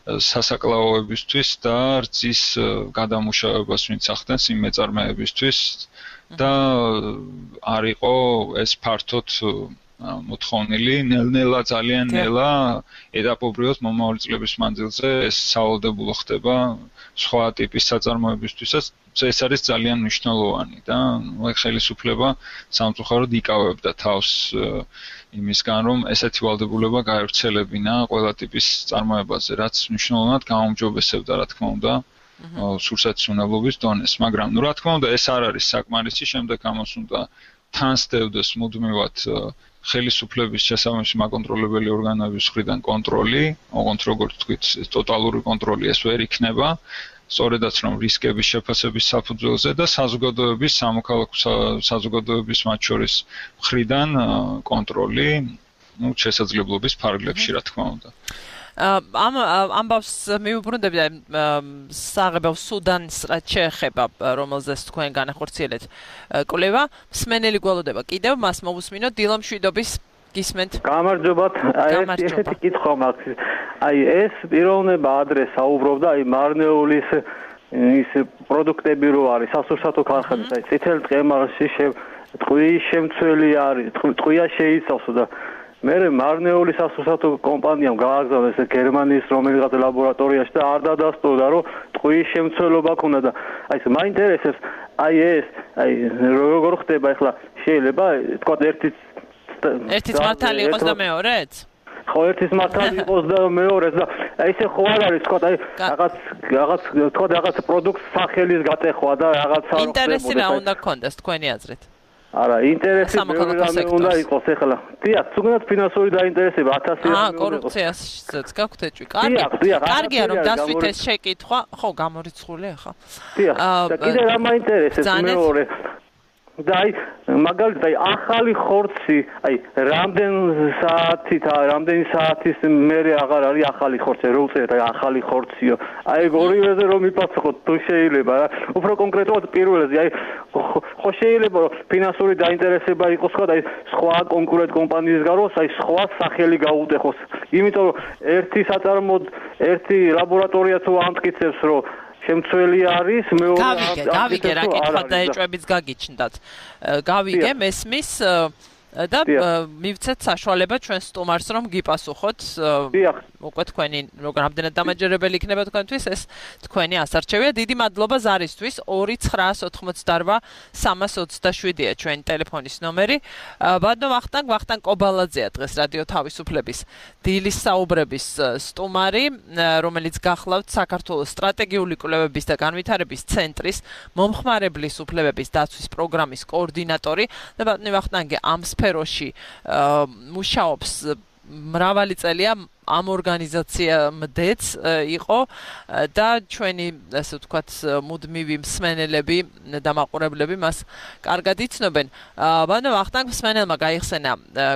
სასაკლაოებისთვის და რძის გადამუშავებას ვინც ახდენს იმ მეწარმეებისთვის და არ იყო ეს ფართოდ მოთხოვნილი, ნელ-ნელა ძალიან ნელა ეტაპობრივად მომავალი წლების მანძილზე ეს სავალდებულო ხდება სხვა ტიპის საწარმოებისთვისაც ეს არის ძალიან მნიშვნელოვანი და ხელისუფლება სამწუხაროდ იკავებდა თავს იმისგან რომ ესეთი ვალდებულება გაევრცელებინა ყველა ტიპის წარმოებაზე, რაც მნიშვნელოვნად გაუმჯობესებდა რა თქმა უნდა სურსათის უნებლობის დონეს, მაგრამ ნუ რა თქმა უნდა ეს არ არის საკმარისი, შემდეგ ამას უნდა თან სდევდეს მუდმივად ხელისუფლების შესაბამისი მაკონტროლებელი ორგანოების მხრიდან კონტროლი, ოღონდ როგორც თქვით, ტოტალური კონტროლი ეს ვერ იქნება. სწორედაც რომ რისკების შეფასების საფუძველზე და საზოგადოების სამოქალაქო საზოგადოების მათ შორის მხრიდან კონტროლი, ну, შესაძლებლობის ფარგლებში, რა თქმა უნდა. ამ ამბავს მიუბრუნდები საღებავ სუდანის რაც შეეხება, რომელზეც თქვენ განახორციელეთ კვლევა, მსმენელი გველოდება კიდევ მას მოვუსმინოთ დილა მშვიდობის გისმენთ. გამარჯობათ. აი ესეთი კითხვა მაქვს. აი ეს პიროვნება ადრეს საუბრობდა აი მარნეულის ის პროდუქტები რო არის სასურსათო ქარხანის, აი წითელ ტყემალში ტყუის შემცველი არის, ტყუია შეიცავს და მე მარნეულის სასურსათო კომპანიამ გააგზავნეს გერმანიის რომელიღაც ლაბორატორიაში და არ დადასტურდა რომ ტყუის შემცველობა ქონდა და აი ეს მაინტერესებს აი ეს აი როგორ ხდება ახლა შეიძლება თქვა ერთი ერთიც მართალი იყოს და მეორეც? ხო, ერთის მართალი იყოს და მეორეც და ესე ხო არ არის, თქვა, აი რაღაც რაღაც თქვა რაღაც პროდუქტ სახელის გატეხვა და რაღაცა რო ინტერესი რა უნდა გქონდეს თქვენი აზრით? არა, ინტერესი უნდა იყოს ახლა. დიახ, თუნდაც ფინანსური დაინტერესება ათასი აა, კორუფციასაც გაქვთ ეჭვი. კარგი. კარგია რომ დასვით ეს შეკითხვა, ხო, გამორიცხული ახლა. დიახ, და კიდე რა მაინტერესებს მეორე და აი მაგალითად აი ახალი ხორცი აი რამდენ საათით რამდენი საათის მერე აღარ არის ახალი ხორცი რო უწერეთ აი ახალი ხორციო აი ორივეზე რომ მიფასხოთ თუ შეიძლება რა უფრო კონკრეტულად პირველზე აი ხო შეიძლება რომ ფინანსური დაინტერესება იყოს ხო აი სხვა კონკურენტ კომპანიისგან რომ აი სხვა სახელი გაუტეხოს იმიტომ რომ ერთი საწარმოდ ერთი ლაბორატორია თუ ამტკიცებს რომ შემცველი არის მეორე გავიგე, გავიგე რა კითხვა და ეჭვებიც გაგიჩნდათ. გავიგე მესმის და მივცეთ საშუალება ჩვენ სტუმარს რომ გიპასუხოთ. უკვე თქვენი რამდენად დამაჯერებელი იქნება თქვენთვის ეს თქვენი ასარჩევია. დიდი მადლობა ზარისთვის. ორი ცხრაას ოთხმოცდარვა სამას ოცდაშვიდია ჩვენი ტელეფონის ნომერი. ბატონო ვახტანგ ვახტანგ კობალაძეა დღეს რადიო თავისუფლების დილის საუბრების სტუმარი, რომელიც გახლავთ საქართველოს სტრატეგიული კვლევების და განვითარების ცენტრის მომხმარებლის უფლებების დაცვის პროგრამის კოორდინატორი და ბატონო ვახტანგი ამ სფეროში მუშაობს მრავალი წელია ამ ორგანიზაციამდეც იყო და ჩვენი ასე ვთქვათ მუდმივი მსმენელები და მაყურებლები მას კარგად იცნობენ. ბატონო ვახტანგ მსმენელმა გაიხსენა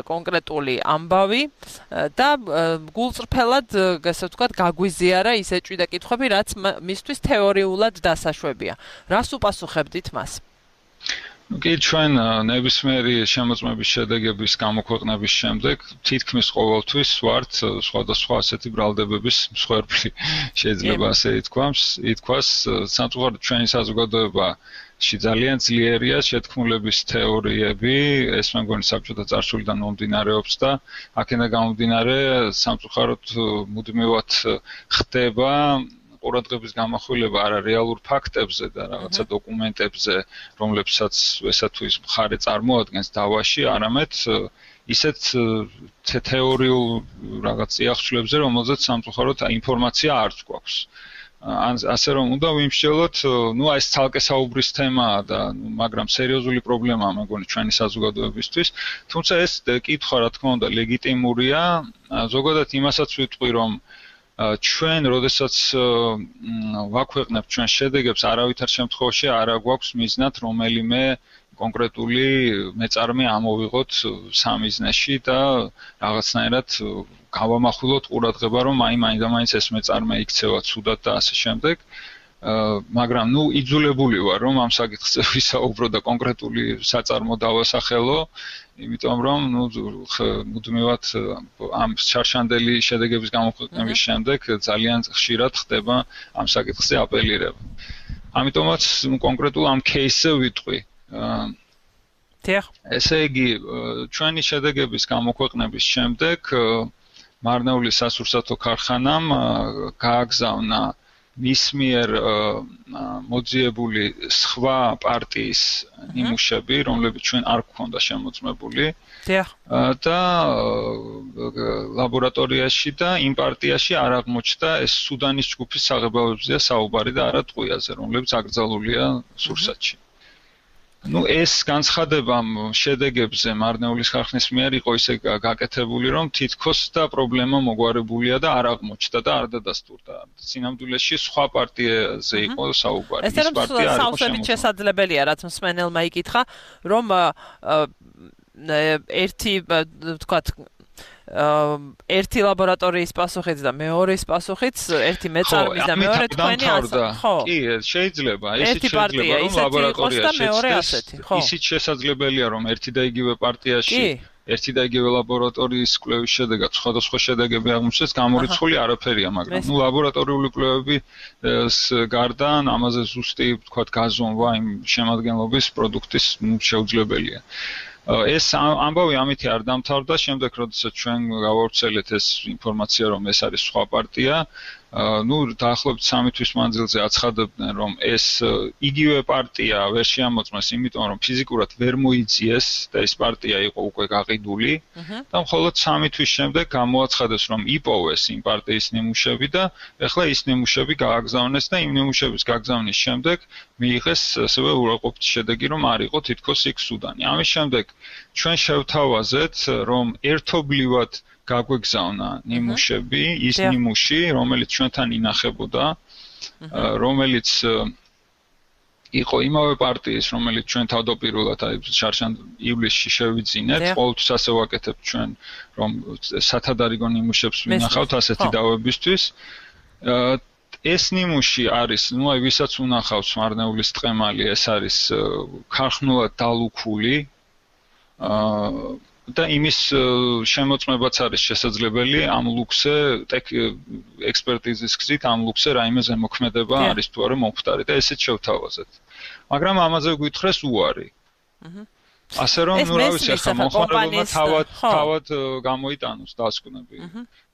კონკრეტული ამბავი და გულწრფელად ასე ვთქვათ გაგვიზიარა ის ეჭვი და კითხვები, რაც მისთვის თეორიულად დასაშვებია. რას უპასუხებდით მას? კი ჩვენ ნებისმიერი შემოწმების შედეგების გამოქვეყნების შემდეგ თითქმის ყოველთვის ვართ სხვადასხვა ასეთი ბრალდებების მსხვერპლი შეიძლება ასე ითქვას ითქვას სამწუხაროდ ჩვენი საზოგადოებაში ძალიან ძლიერია შეთქმულების თეორიები ეს მე მგონი საბჭოთა წარსულიდან მომდინარეობს და აქედან გამომდინარე სამწუხაროდ მუდმივად ხდება ყურადღების გამახვილება არა რეალურ ფაქტებზე და რაღაცა დოკუმენტებზე, რომლებსაც ესა თუ ის მხარე წარმოადგენს დავაში, არამედ ისეთ თეორიულ რაღაც წიაღწლებზე, რომელზეც სამწუხაროდ ინფორმაცია არც გვაქვს. ან ასე რომ უნდა ვიმსჯელოთ, ნუ ეს ცალკე საუბრის თემაა და მაგრამ სერიოზული პრობლემაა მეგონი ჩვენი საზოგადოებისთვის, თუმცა ეს კითხვა რა თქმა უნდა ლეგიტიმურია, ზოგადად იმასაც ვიტყვი, რომ ჩვენ, როდესაც ვაქვეყნებთ ჩვენ შედეგებს, არავითარ შემთხვევაში არ გვაქვს მიზნად რომელიმე კონკრეტული მეწარმე ამოვიღოთ სამიზნეში და რაღაცნაირად გავამახვილოთ ყურადღება, რომ აი მაინდა-მაინც ეს მეწარმე იქცევა ცუდად და ასე შემდეგ. მაგრამ ნუ იძულებული ვარ, რომ ამ საკითხზე ვისაუბრო და კონკრეტული საწარმო დავასახელო, იმიტომ რომ ნუ მუდმივად ამ შარშანდელი შედეგების გამოქვეყნების შემდეგ ძალიან ხშირად ხდება ამ საკითხზე აპელირება. ამიტომაც კონკრეტულ ამ кейსზე ვიტყვი. ესე იგი, ჩვენი შედეგების გამოქვეყნების შემდეგ მარნეულის სასურსათო ქარხანამ გააგზავნა მის მიერ მოძიებული სხვა პარტიის ნიმუშები, რომლებიც ჩვენ არ გვქონდა შემოწმებული. და ლაბორატორიაში და იმ პარტიაში არ აღმოჩნდა ეს სუდანის ჯგუფის საღებავებზეა საუბარი და არა ტყვიაზე, რომლებიც აკრძალულია სურსათში. Ну, ეს განცხადება შედეგებზე მარნეულის ქარხნის მიერ იყო ისე გაკეთებული, რომ თითქოს და პრობლემა მოგვარებულია და არ აღმოჩნდა და არ დადასტურდა. სინამდვილეში სხვა პარტიაზე იყო საუბარი. ეს პარტია არ იყო შესაძლებელია, რაც მსმენელმა იკითხა, რომ ერთი, ვთქვათ, ერთი ლაბორატორიის პასუხიც და მეორეს პასუხიც, ერთი მეწარმის და მეორე თქვენი ასა. ხო. კი, შეიძლება, ისიც შეიძლება, რომ ლაბორატორიაში ისიც შესაძლებელია, რომ ერთი და იგივე პარტიაში ერთი და იგივე ლაბორატორიის კვლევის შედეგად სხვადასხვა შედეგები აღმოჩნდეს, გამორიცხული არაფერია, მაგრამ ნუ ლაბორატორიული კვლევების გარდა ამაზე ზუსტი, ვთქვათ, გაზომვა იმ შემადგენლობის პროდუქტის შეუძლებელია. ეს ამბავი ამითი არ დამთავრდა, შემდეგ როდესაც ჩვენ გავავრცელეთ ეს ინფორმაცია, რომ ეს არის სხვა პარტია, ну, დაახლოებით სამი თვის მანძილზე აცხადებდნენ, რომ ეს იგივე პარტია ვერ შეამოწმეს, იმიტომ რომ ფიზიკურად ვერ მოიძიეს და ეს პარტია იყო უკვე გაყიდული და მხოლოდ სამი თვის შემდეგ გამოაცხადეს, რომ იპოვეს იმ პარტიის ნიმუშები და ეხლა ის ნიმუშები გააგზავნეს და იმ ნიმუშების გაგზავნის შემდეგ მიიღეს ასევე უარყოფითი შედეგი, რომ არ იყო თითქოს იქ სუდანი. ამის შემდეგ ჩვენ შევთავაზეთ, რომ ერთობლივად გაგვეგზავნა ნიმუშები, ის ნიმუში, რომელიც ჩვენთან ინახებოდა, რომელიც იყო იმავე პარტიის, რომელიც ჩვენ თავდაპირველად აი შარშან ივლისში შევიძინეთ, ყოველთვის ასე ვაკეთებთ ჩვენ, რომ სათადარიგო ნიმუშებს ვინახავთ ასეთი დავებისთვის. ეს ნიმუში არის, ну, აი ვისაც უნახავს მარნეულის ტყემალი, ეს არის ქარხნულად დალუქული და იმის შემოწმებაც არის შესაძლებელი ამ ლუქსზე ექსპერტიზის გზით ამ ლუქსზე რაიმე ზემოქმედება არის თუ არა მომხდარი და ესეც შევთავაზეთ. მაგრამ ამაზე გვითხრეს უარი. ასე რომ, ну, რა ვიცი, ახლა მოხმარებელმა თავად თავად გამოიტანოს დასკვნები.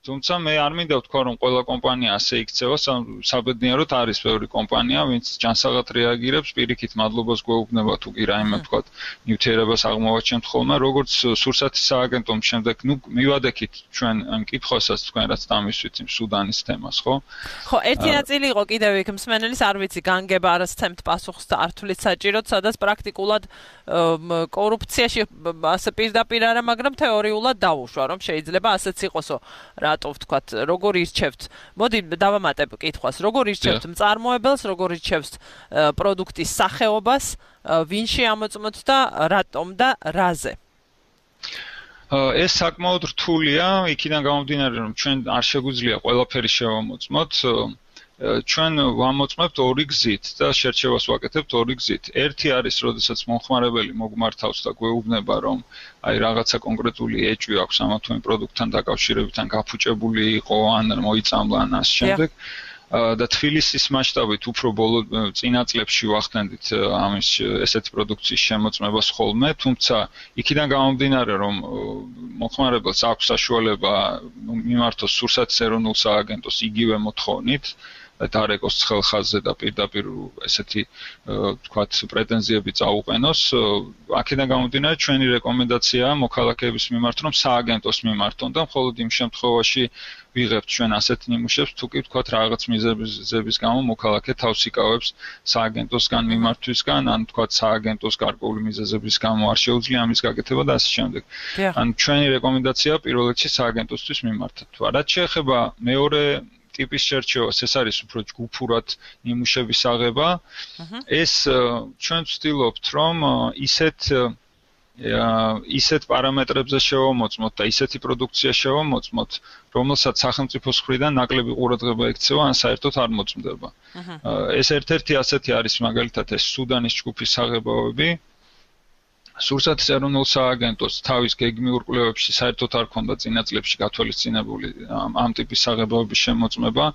თუმცა მე არ მინდა ვთქვა, რომ ყველა კომპანია ასე იქცევა, საბედნიეროდ არის ბევრი კომპანია, ვინც ჯანსაღად რეაგირებს, პირიქით მადლობას გვეუბნება თუ კი რაიმე ვთქვათ, ნივთიერებას აღმოვაჩენთ ხოლმე, როგორც სურსათის სააგენტომ შემდეგ, ну, მივადექით ჩვენ ამ კითხვასაც თქვენ რაც დამისვით იმ სუდანის თემას, ხო? ხო, ერთი ნაწილი იყო კიდევ იქ მსმენელის, არ ვიცი, განგება არ სცემთ პასუხს და არ თulit საჭიროდ, სადაც პრაქტიკულად კორუფციაში ასე პირდაპირ არა, მაგრამ თეორიულად დაუშვა, რომ შეიძლება ასეც იყოსო. რატო ვთქვათ, როგორ ირჩევთ? მოდი დავამატებ კითხვას. როგორ ირჩევთ მწარმოებელს, როგორ ირჩევთ პროდუქტის სახეობას, ვინ შეამოწმოთ და რატომ და რაზე? ეს საკმაოდ რთულია, იქიდან გამომდინარე, რომ ჩვენ არ შეგვიძლია ყველაფერი შევამოწმოთ. ჩვენ ვამოწმებთ ორი გზით და შერჩევას ვაკეთებთ ორი გზით. ერთი არის, როდესაც მომხმარებელი მოგმართავს და გვეუბნება, რომ აი რაღაცა კონკრეტული ეჭვი აქვს ამა თუ იმ პროდუქტთან დაკავშირებით, ან გაფუჭებული იყო, ან მოიწამლა, ან ამ შემდეგ. და თბილისის მასშტაბით უფრო ბოლო წინა წლებში ვახდენდით ამის ესეთი პროდუქციის შემოწმებას ხოლმე, თუმცა იქიდან გამომდინარე, რომ მომხმარებელს აქვს საშუალება მიმართოს სურსათის ეროვნულ სააგენტოს იგივე მოთხოვნით, დარეკოს ცხელ ხაზზე და პირდაპირ ესეთი თქვათ პრეტენზიები წაუყენოს. აქედან გამომდინარე ჩვენი რეკომენდაციაა მოქალაქეების მიმართ რომ სააგენტოს მიმართონ და მხოლოდ იმ შემთხვევაში ვიღებთ ჩვენ ასეთ ნიმუშებს თუ კი თქვათ რაღაც მიზეზების გამო მოქალაქე თავს იკავებს სააგენტოსგან მიმართვისგან ან თქვათ სააგენტოს გარკვეული მიზეზების გამო არ შეუძლია ამის გაკეთება და ასე შემდეგ. ან ჩვენი რეკომენდაციაა პირველ რიგში სააგენტოსთვის მიმართოთ. რაც შეეხება მეორე ტიპის შერჩევას, ეს არის უფრო ჯგუფურად ნიმუშების აღება. ეს ჩვენ ვცდილობთ რომ ისეთ ისეთ პარამეტრებზე შევამოწმოთ და ისეთი პროდუქცია შევამოწმოთ, რომელსაც სახელმწიფოს მხრიდან ნაკლები ყურადღება ექცევა ან საერთოდ არ მოწმდება. ეს ერთ-ერთი ასეთი არის მაგალითად ეს სუდანის ჯგუფის აღებავები. სურსათის ეროვნულ სააგენტოს თავის გეგმიურ კვლევებში საერთოდ არ ქონდა წინა წლებში გათვალისწინებული ამ ტიპის აღებავების შემოწმება.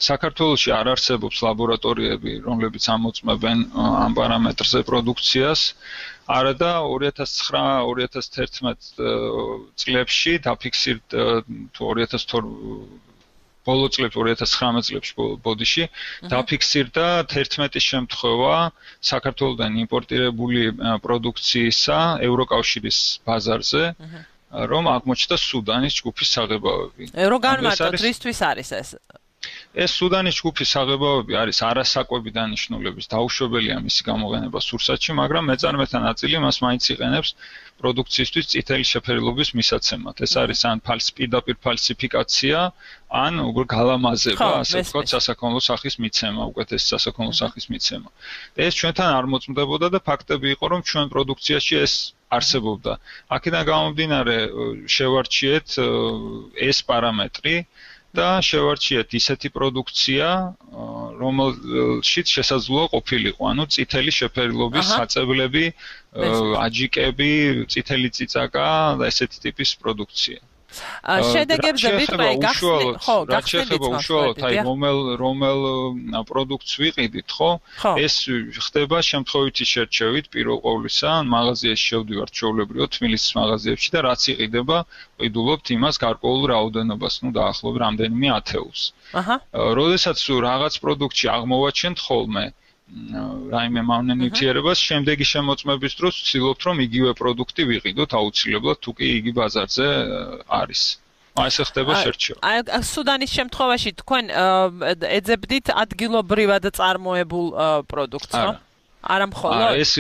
საქართველოში არ არსებობს ლაბორატორიები, რომლებიც ამოწმებენ ამ პარამეტრზე პროდუქციას. არადა ორი ათას ცხრა ორი ათას თერთმეტ წლებში დაფიქსირდა თუ ორი ათას ბოლო წლებში ორი ათას ცხრამეტ წლებში ბოდიში დაფიქსირდა თერთმეტი შემთხვევა საქართველოდან იმპორტირებული პროდუქციისა ევროკავშირის ბაზარზე, რომ აღმოჩნდა სუდანის ჯგუფის აღებავები. რო განმარტოთ, რისთვის არის ეს? ეს სუდანის ჯგუფის აღებავები არის არასაკვები დანიშნულების დაუშვებელია მისი გამოყენება სურსათში, მაგრამ მეწარმეთა ნაწილი მას მაინც იყენებს პროდუქციისთვის წითელი შეფერილობის მისაცემად. ეს არის ან პირდაპირ ფალსიფიკაცია, ან უგრ გალამაზება, ასე ვთქვათ, სასაქონლო სახის მიცემა, უკეთესი სასაქონლო სახის მიცემა. ეს ჩვენთან არ მოწმდებოდა და ფაქტები იყო, რომ ჩვენ პროდუქციაში ეს არსებობდა. აქედან გამომდინარე შევარჩიეთ ეს პარამეტრი და შევარჩიეთ ისეთი პროდუქცია, რომელშიც შესაძლოა ყოფილიყო, ანუ წითელი შეფერილობის საწებლები, აჯიკები, წითელი წიწაკა და ესეთი ტიპის პროდუქცია. შედეგებზე ვიტყვი, გახსნით, ხო, გახსნით უშუალოდ, აი რომელ რომელ პროდუქტს ვიყიდით, ხო? ეს ხდება შემთხვევითი შერჩევით პირველ ყოვლისა, მაღაზიაში შევდივართ ჩვეულებრივად თბილისის მაღაზიებში და რაც იყიდება, ვიდულობთ იმას გარკვეულ რაოდენობას, ну დაახლოებით რამდენიმე ათეულს. აჰა. როდესაც რაღაც პროდუქტში აღმოვაჩენთ ხოლმე რაიმე მავნე ნივთიერებას, შემდეგი შემოწმების დროს ვცდილობთ რომ იგივე პროდუქტი ვიყიდოთ აუცილებლად, თუ კი იგი ბაზარზე არის. აი ესე ხდება შერჩევა. აი სუდანის შემთხვევაში თქვენ ეძებდით ადგილობრივად წარმოებულ პროდუქტს, ხო? არა მხოლოდ. ეს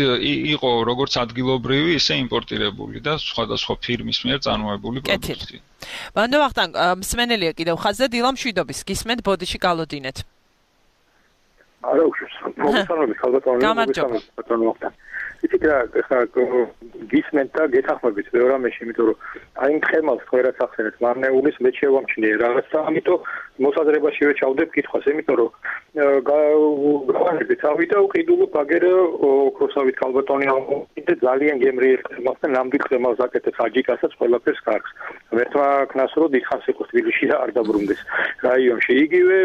იყო როგორც ადგილობრივი, ისე იმპორტირებული და სხვადასხვა ფირმის მიერ წარმოებული პროდუქტი. ბანდო ვახტანგ, მსმენელია კიდევ ხაზზე დილა მშვიდობის, გისმენთ ბოდიში გალოდინეთ. არა უშვებს, მოგესალმებით, ხალბატონო, მოგესალმებით. იცით რა, ხა გისმენთ და გეთახმებით ბევრ რამეში, იმიტომ რომ აი იმ ხემალს თქვენ რაც ახსენეთ, მარნეულის მე შევამჩნიე რაღაცა, ამიტომ მოსაზრებაშივე ჩავდებ კითხვას, იმიტომ რომ გავანებთ ავიდა უყიდულობ აგერ ოქროსავით ხალბატონი და ძალიან გემრიელ ხემალს და ნამდვილ ხემალს აკეთებს აჯიკასაც ყველაფერს კარგს. ერთმა ქნას რო დიდხანს იყო თბილისში და არ დაბრუნდეს რაიონში. იგივე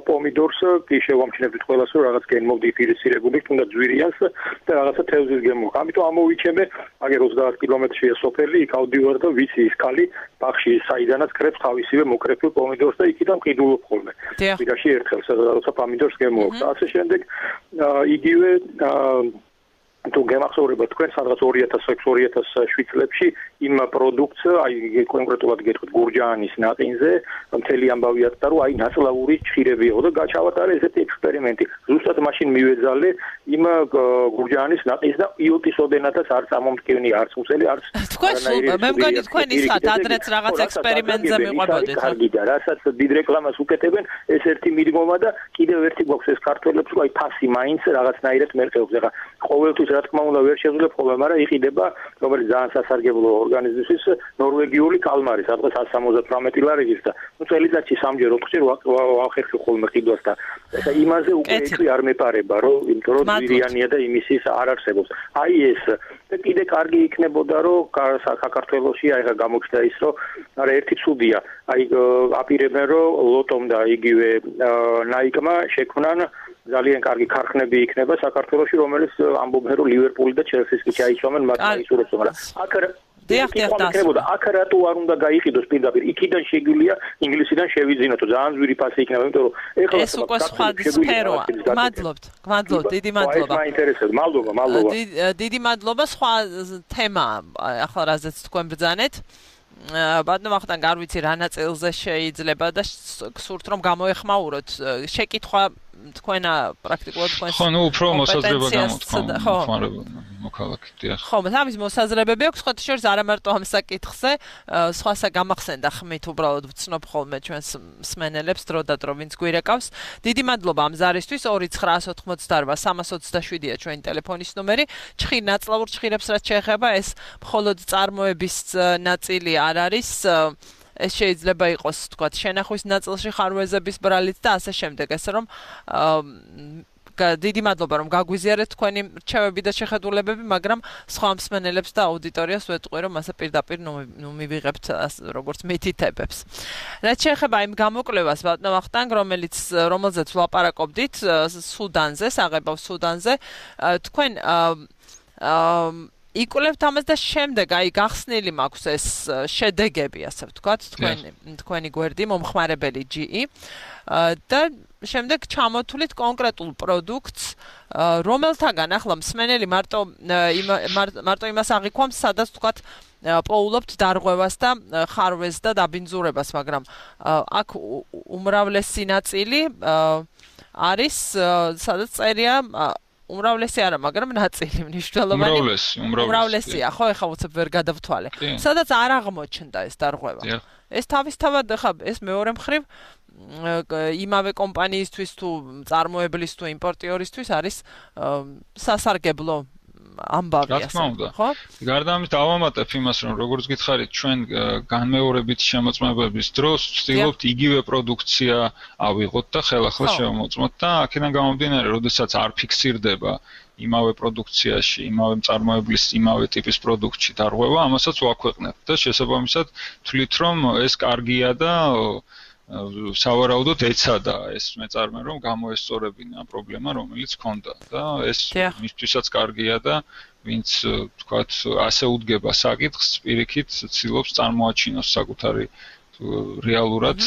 პომიდორს კი შევამჩნევთ ყველას რომ რაღაც გენმოდიფიცირებული, თუნდაც ძვირიანს და რაღაცა თევზის გემო. ამიტომ ამოვიჩემე, აგერ ოცდაათ კილომეტრშია სოფელი, იქ ავდივარ და ვიცი ის კალი ბახში საიდანაც კრებს თავისივე მოკრეფილ პომიდორს და იქიდან ყიდულობ ხოლმე. ვიდაში ერთხელ როცა პომიდორს გემოაქვს. ასე შემდეგ იგივე თუ გემახსოვრება თქვენ სადღაც ორი ათას ექვსი ორი ათას შვიდ წლებში იმ პროდუქტს, აი კონკრეტულად გეტყვით გურჯაანის ნაყინზე, მთელი ამბავი ატყდა, რომ აი ნაცლავური ჭირები იყო და გაჩავატარე ესეთი ექსპერიმენტი. ზუსტად მაშინ მივეძალე იმ გურჯაანის ნაყინს და იოტის ოდენათაც არ წამომტკივნი, არც მუცელი, არც თქვენ მე მგონი თქვენ ისხათ ადრეც რაღაც ექსპერიმენტზე მიყვებოდეთ. კარგი და რასაც დიდ რეკლამას უკეთებენ, ეს ერთი მიდგომა და კიდევ ერთი გვაქვს ეს ქართველებს, რომ აი ფასი მაინც რაღაცნაირად მერყეობს. ახლა ყოველთვის რა თქმა უნდა ვერ შეძლებ ხოლმე, მაგრამ იყიდება, რომელიც ძალიან სასარგებლო ორგანიზმისთვის ნორვეგიული კალმარი, სადღაც εκατს სამოცდათვრამეტი ლარილის და ნუ წელიწადში სამჯერ ოთხჯერ ვახერხი ხოლმე ყიდვას და ეხა იმაზე უკვე ეთვი არ მეპარება, რომ იმიტომ რომ ძვირიანია და იმისის არ არსებობს. აი ეს და კიდე კარგი იქნებოდა, რომ საქართველოში აი ხა გამოჩნდა ის, რომ არა ერთი ცუდია, აი აპირებენ, რომ ლოტომ და იგივე ნაიკმა შექმნან ძალიან კარგი ქარხნები იქნება საქართველოში, რომელიც ამბობენ, რომ ლივერპული და ჩელსის კი ჩაიცვამენ მათ აისურვებს, მაგრამ აქ იქნებოდა აქ რატო არ უნდა გაიყიდოს პირდაპირ იქიდან შეგვიძლია ინგლისიდან შევიძინოთ ძალიან ძვირი ფასი იქნება იმიტომ რომ ეხლა ეს უკვე სხვა სფეროა გმადლობთ გმადლობთ დიდი მადლობა მაინტერესებს მადლობა მადლობა დიდი მადლობა სხვა თემა ახლა რაზეც თქვენ ბრძანეთ ბატონო ახლა არ ვიცი რა ნაწილზე შეიძლება და გსურთ რომ გამოეხმაუროთ შეკითხვა თქვენა პრაქტიკულად თქვენს ხო ნუ უფრო მოსაზრება გამოთქვა ხმარება მოქალაქით დიახ ხო ამის მოსაზრებები აქვს ხო შორს არა მარტო ამ საკითხზე სხვასა გამახსენდა ხმით უბრალოდ ვცნობ ხოლმე ჩვენს მსმენელებს დრო და დრო ვინც გვირეკავს დიდი მადლობა ამ ზარისთვის ორი ცხრა ოცდაოთხმოცდაორბა სამას ოცდაშვიდია ჩვენი ტელეფონის ნომერი ჩხირ ნაწლავურ ჩხირებს რაც შეეხება ეს მხოლოდ წარმოების ნაწილი არ არის ეს შეიძლება იყოს თქვათ შენახვის ნაწილში ხარვეზების ბრალით და ასე შემდეგ ესე რომ დიდი მადლობა რომ გაგვიზიარეთ თქვენი რჩევები და შეხედულებები მაგრამ სხვა მსმენელებს და აუდიტორიას ვეტყვი რომ ასე პირდაპირ ნუ მივიღებთ როგორც მითითებებს რაც შეეხება იმ გამოკვლევას ბატონო ვახტანგ რომელიც რომელზეც ვლაპარაკობდით სუდანზე საღებავ სუდანზე თქვენ იკვლევთ ამას და შემდეგ აი გახსნილი მაქვს ეს შედეგები ასე ვთქვათ თქვენი თქვენი გვერდი მომხმარებელი ჯი ი და შემდეგ ჩამოთვლით კონკრეტულ პროდუქტს რომელთაგან ახლა მსმენელი მარტო მარტო იმას აღიქვამს სადაც ვთქვათ პოულობთ დარღვევას და ხარვეს და დაბინძურებას მაგრამ აქ უმრავლესი ნაწილი არის სადაც წერია უმრავლესი არა, მაგრამ ნაწილი მნიშვნელოვანი. უმრავლესი, უმრავლესია, ხო, ეხლა უცებ ვერ გადავთვალე. სადაც არ აღმოჩნდა ეს დარღვევა. ეს თავისთავად ხა ეს მეორე მხრივ იმავე კომპანიისთვის თუ წარმოებლის თუ იმპორტიორისთვის არის სასარგებლო ამბავი ასე, ხო? გარდა ამის დავამატებ იმას, რომ როგორც გითხარით, ჩვენ განმეორებით შემოწმებების დროს ვცდილობთ იგივე პროდუქცია ავიღოთ და ხელახლა შევამოწმოთ და აქედან გამომდინარე, როდესაც არ ფიქსირდება იმავე პროდუქციაში, იმავე მწარმოებლის, იმავე ტიპის პროდუქტში დარღვევა, ამასაც ვაქვეყნებთ და შესაბამისად თვლით, რომ ეს კარგია და სავარაუდოდ ეცადა ეს მეწარმე რომ გამოესწორებინა პრობლემა რომელიც ჰქონდა და ეს მისთვისაც კარგია და ვინც თქვათ ასე უდგება საკითხს პირიქით ცდილობს წარმოაჩინოს საკუთარი რეალურად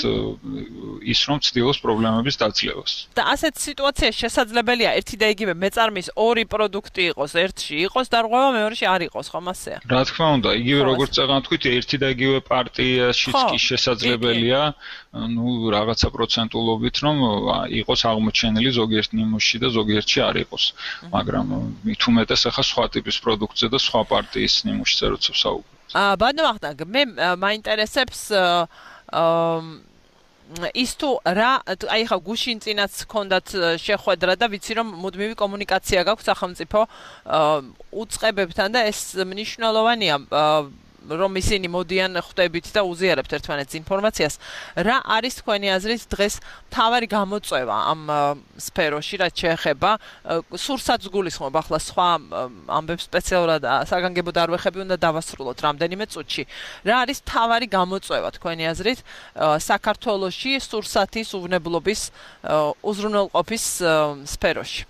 ის რომ ცდილობს პრობლემების დაძლევას. და ასეთ სიტუაციაში შესაძლებელია ერთი და იგივე მეწარმის ორი პროდუქტი იყოს, ერთში იყოს დარღვევა, მეორეში არ იყოს, ხომ ასეა? რა თქმა უნდა, იგივე როგორც წეგან თქვით, ერთი და იგივე პარტიაშიც კი შესაძლებელია, ну, რაღაცა პროცენტულობით რომ იყოს აღმოჩენილი ზოგიერთ ნიმუშში და ზოგიერთში არ იყოს. მაგრამ მით უმეტეს ახლა სხვა ტიპის პროდუქტზე და სხვა პარტიის ნიმუშზე როცა ვსაუბრობ. აა ბატონო ვახტანგ, მე მაინტერესებს ის თუ რა აი ხა გუშინ წინაც ჰქონდათ შეხვედრა და ვიცი რომ მუდმივი კომუნიკაცია გაქვთ სახელმწიფო უწყებებთან და ეს მნიშვნელოვანია რომ ისინი მოდიან ხვდებით და უზიარებთ ერთმანეთს ინფორმაციას რა არის თქვენი აზრით დღეს მთავარი გამოწვევა ამ სფეროში რაც შეეხება სურსაც გულისხმობ ახლა სხვა ამბებს სპეციალურად საგანგებო დარვეხები უნდა დავასრულოთ რამდენიმე წუთში რა არის მთავარი გამოწვევა თქვენი აზრით საქართველოში სურსათის უვნებლობის უზრუნველყოფის სფეროში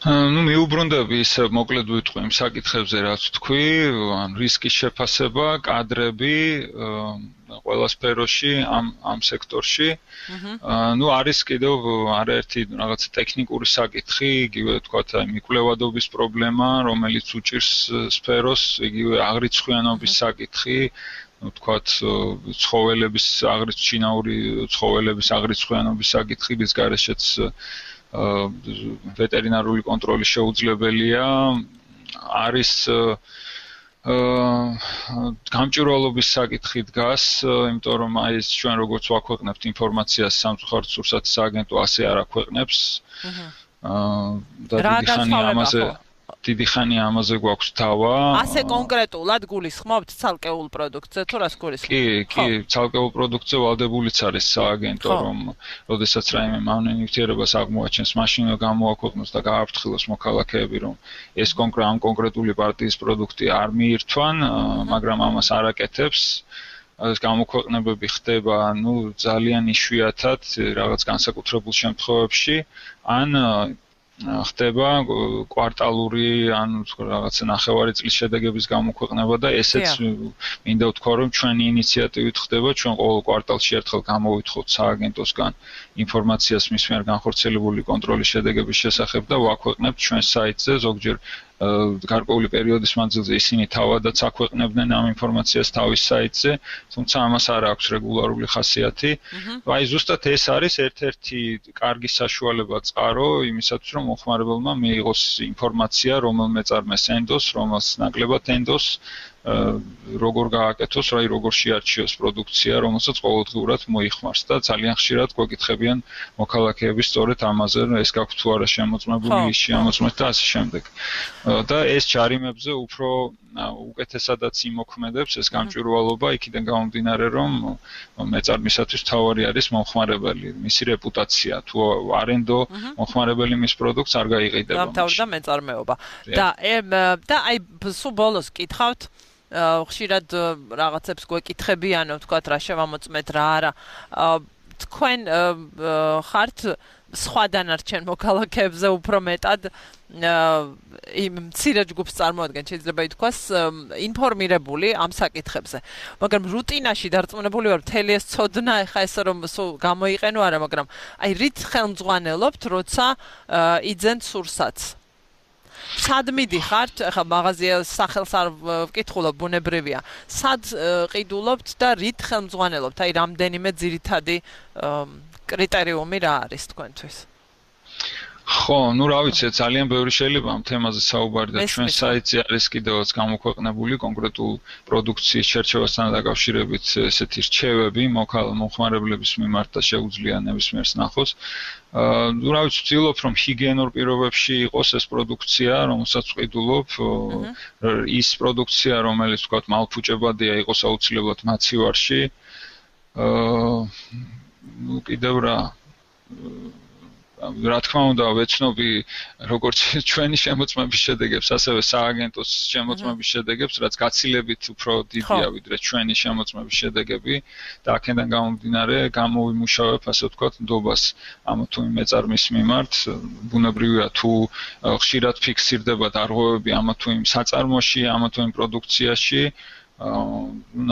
ну მიუბრუნდები ის მოკლედ ვიტყვი იმ საკითხებზე რაც თქვი ან რისკის შეფასება კადრები ყველა სფეროში ამ ამ სექტორში ну არის კიდევ არაერთი რაღაც ტექნიკური საკითხი იგივე თქვათ აი მიკვლევადობის პრობლემა რომელიც უჭირს სფეროს იგივე აღრიცხვიანობის საკითხი ну თქვათ ცხოველების აღრიცხვიანური ცხოველების აღრიცხვიანობის საკითხი რის გარეშეც ვეტერინარული კონტროლი შეუძლებელია არის გამჭვირვალობის საკითხი დგას იმიტომ რომ აი ეს ჩვენ როგორც ვაქვეყნებთ ინფორმაციას სამწუხაროდ სურსათის სააგენტო ასე არ აქვეყნებს და დიდი ხანი ამაზე დიდი ხანი ამაზე გვაქვს დავა. ასე კონკრეტულად გულისხმობთ ცალკეულ პროდუქტზე თუ რას გულისხმობთ? კი, კი, ცალკეულ პროდუქტზე ვალდებულიც არის სააგენტო, რომ როდესაც რაიმე მავნე ნივთიერებას აღმოაჩენს, მაშინ გამოაქვეყნოს და გააფრთხილოს მოქალაქეები, რომ ეს კონკრეტ ამ კონკრეტული პარტიის პროდუქტი არ მიირთვან, მაგრამ ამას არ აკეთებს. ეს გამოქვეყნებები ხდება, ну, ძალიან იშვიათად, რაღაც განსაკუთრებულ შემთხვევებში, ან ხდება კვარტალური ან რაღაცა ნახევარი წლის შედეგების გამოქვეყნება და ესეც მინდა ვთქვა რომ ჩვენი ინიციატივით ხდება ჩვენ ყოველ კვარტალში ერთხელ გამოვითხოვთ სააგენტოსგან ინფორმაციას მის მიერ განხორციელებული კონტროლის შედეგების შესახებ და ვაქვეყნებთ ჩვენ საიტზე ზოგჯერ გარკვეული პერიოდის მანძილზე ისინი თავადაც აქვეყნებდნენ ამ ინფორმაციას თავის საიტზე, თუმცა ამას არ აქვს რეგულარული ხასიათი. აი ზუსტად ეს არის ერთ-ერთი კარგი საშუალება წყარო იმისათვის რომ მომხმარებელმა მიიღოს ინფორმაცია რომელ მეწარმეს ენდოს, რომელს ნაკლებად ენდოს როგორ გააკეთოს, რაი როგორ შეარჩიოს პროდუქცია, რომელსაც ყოველდღიურად მოიხმარს და ძალიან ხშირად გვეკითხებიან მოქალაქეები სწორედ ამაზე, ეს გაქვთ თუ არა შემოწმებული, ის შემოწმეთ და ასე შემდეგ. და ეს ჯარიმებზე უფრო უკეთესადაც იმოქმედებს ეს გამჭვირვალობა იქიდან გამომდინარე რომ მეწარმისათვის თავარი არის მომხმარებელი, მისი რეპუტაცია, თუ არენდო მომხმარებელი მის პროდუქტს არ გაიყიდება. დამთავრდა მეწარმეობა. და და აი სულ ბოლოს კითხავთ ხშირად რაღაცებს გვეკითხებიანო, თქვათ რა შევამოწმეთ რა არა. თქვენ ხართ სხვა დანარჩენ მოქალაქეებზე უფრო მეტად იმ მცირე ჯგუფს წარმოადგენთ, შეიძლება ითქვას, ინფორმირებული ამ საკითხებზე. მაგრამ რუტინაში დარწმუნებული ვარ, მთელი ეს ცოდნა ეხა ესე რომ გამოიყენო არა, მაგრამ აი რით ხელმძღვანელობთ, როცა იძენთ სურსათს? სად მიდიხართ, ახლა მაღაზია სახელს არ ვკითხულობ, ბუნებრივია. სად ყიდულობთ და რით ხელმძღვანელობთ? აი რამდენიმე ძირითადი კრიტერიუმი რა არის თქვენთვის? ხო, ну რა ვიცი, ძალიან ბევრი შეიძლება ამ თემაზე საუბარი და ჩვენ საიტზე არის კიდევაც გამოქვეყნებული კონკრეტულ პროდუქციის შერჩევასთან დაკავშირებით ესეთი რჩევები მომხმარებლების მიმართ და შეუძლია ნებისმიერს ნახოს. ну რა ვიცი, ვცდილობ რომ ჰიგიენურ პირობებში იყოს ეს პროდუქცია, რომელსაც ვყიდულობ, ის პროდუქცია, რომელიც თქვათ მალფუჭებადია იყოს აუცილებლად მაცივარში. ну კიდევ რა რა თქმა უნდა ვეცნობი როგორც ჩვენი შემოწმების შედეგებს, ასევე სააგენტოს შემოწმების შედეგებს, რაც გაცილებით უფრო დიდია ვიდრე ჩვენი შემოწმების შედეგები და აქედან გამომდინარე გამოვიმუშავებ, ასე ვთქვათ, ნდობას ამ თუ იმ მეწარმის მიმართ, ბუნებრივია თუ ხშირად ფიქსირდება დარღვევები ამ თუ იმ საწარმოში, ამ თუ იმ პროდუქციაში,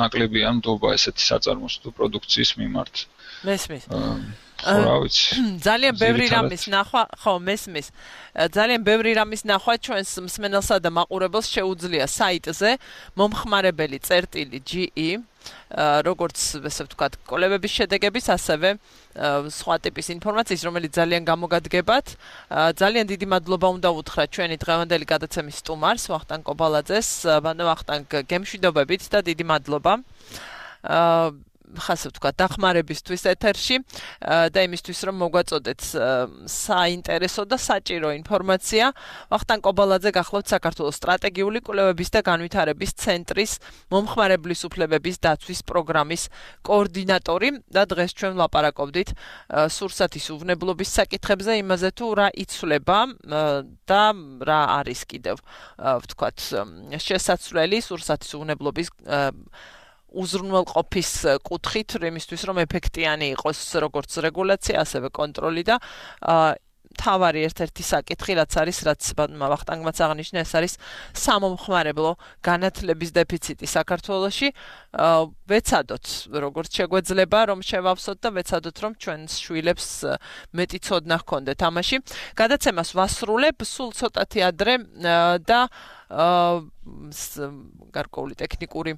ნაკლებია ნდობა ესეთი საწარმოს თუ პროდუქციის მიმართ. მესმის. ძალიან ბევრი რამის ნახვა, ხო, მესმის. ძალიან ბევრი რამის ნახვა ჩვენს მსმენელსა და მაყურებელს შეუძლია საიტზე მომხმარებელი წერტილი ჯი ი, როგორც ესე ვთქვათ, კოლებების შედეგების, ასევე სხვა ტიპის ინფორმაციის, რომელიც ძალიან გამოგადგებათ. ძალიან დიდი მადლობა უნდა უთხრა ჩვენი დღევანდელი გადაცემის სტუმარს, ვახტანგ კობალაძეს, ვახტანგ გემშვიდობებით და დიდი მადლობა. ხასე ვთქვა დახმარებისთვის ეთერში და იმისთვის რომ მოგვაწოდეთ საინტერესო და საჭირო ინფორმაცია. ვახტანგ კობალაძე გახლავთ საქართველოს სტრატეგიული კვლევების და განვითარების ცენტრის მომხმარებლის უფლებების დაცვის პროგრამის კოორდინატორი და დღეს ჩვენ ვლაპარაკობდით სურსათის უვნებლობის საკითხებზე, იმაზე თუ რა იცვლება და რა არის კიდევ ვთქვათ შესაძლებელი სურსათის უვნებლობის უზრუნველყოფის კუთხით, იმისთვის რომ ეფექტიანი იყოს როგორც რეგულაცია, ასევე კონტროლი და თავარი ერთ-ერთი საკითხი, რაც არის, რაც ვახტანგმაც აღნიშნა, ეს არის სამომხმარებლო განათლების დეფიციტი საქართველოში. ვეცადოთ, როგორც შეგვეძლება, რომ შევავსოთ და ვეცადოთ, რომ ჩვენს შვილებს მეტი ცოდნა ჰქონდეთ ამაში. გადაცემას ვასრულებ სულ ცოტათი ადრე და გარკვეული ტექნიკური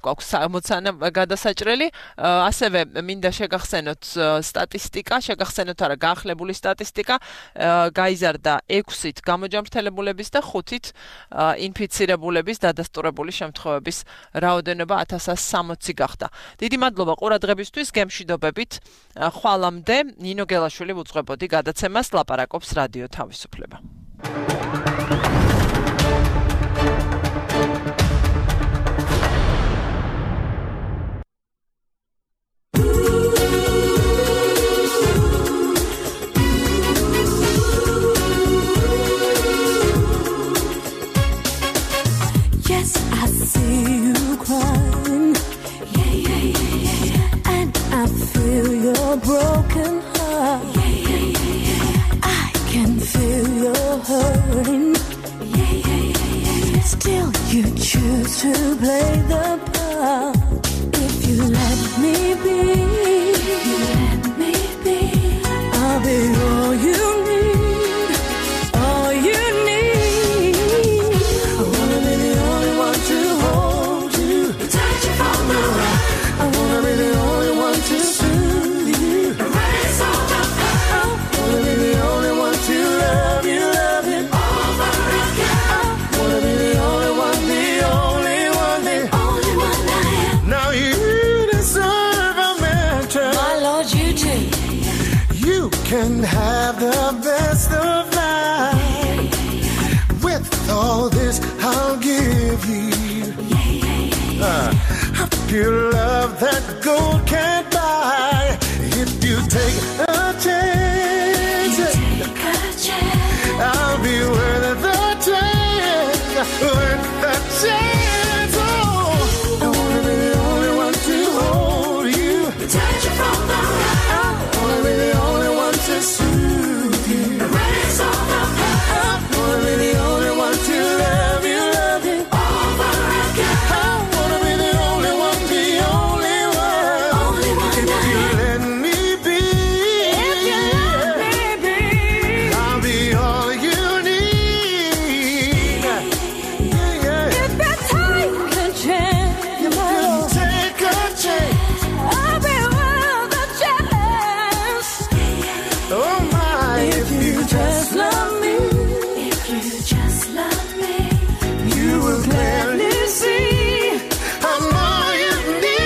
გვაქვს სამოცანა გადასაჭრელი, ასევე მინდა შეგახსენოთ სტატისტიკა, შეგახსენოთ არა გაახლებული სტატისტიკა, გაიზარდა ექვსით გამოჯამრთელებულების და ხუთით ინფიცირებულების დადასტურებული შემთხვევების რაოდენობა ათას სამოცი გახდა. დიდი მადლობა ყურადღებისთვის, გემშვიდობებით. ხვალამდე ნინო გელაშვილი ვუძღვებოდი გადაცემას, ლაპარაკობს რადიო თავისუფლება. I see you crying, yeah, yeah, yeah, yeah. And I feel your broken heart, yeah, yeah, yeah, yeah. I can feel hurting. Yeah, yeah, yeah, yeah, yeah. Still you choose to play the part. If you let me be, if you let me be, I'll be all you need, all you need. I wanna be the only one to hold you, touch you from the right. I wanna be the only one to soothe you, erase all the pain. I wanna be the only one to love you, love you over again. I wanna be the only one, the only one, the only one I am. Now you deserve a mansion. My Lord, you do. You can have the best of life. With all this, I'll give you uh, a pure love that gold can't buy. If you take a chance, Take a chance. I'll be worth the chance, worth the chance. Oh, I wanna be the only one to hold you, Touch you from the right. I wanna be the only one to soothe you, Erase all the pain. I wanna be the only one to love you, love you Over again. I wanna be the only one, the only one. Only one If I you am. let me be, If you let me be. I'll be all you need. Yeah, yeah. If you take a chance, You take a chance. I'll be worth a chance. Oh my, if you just love me, If you just love me, you will gladly see. I'm all you need.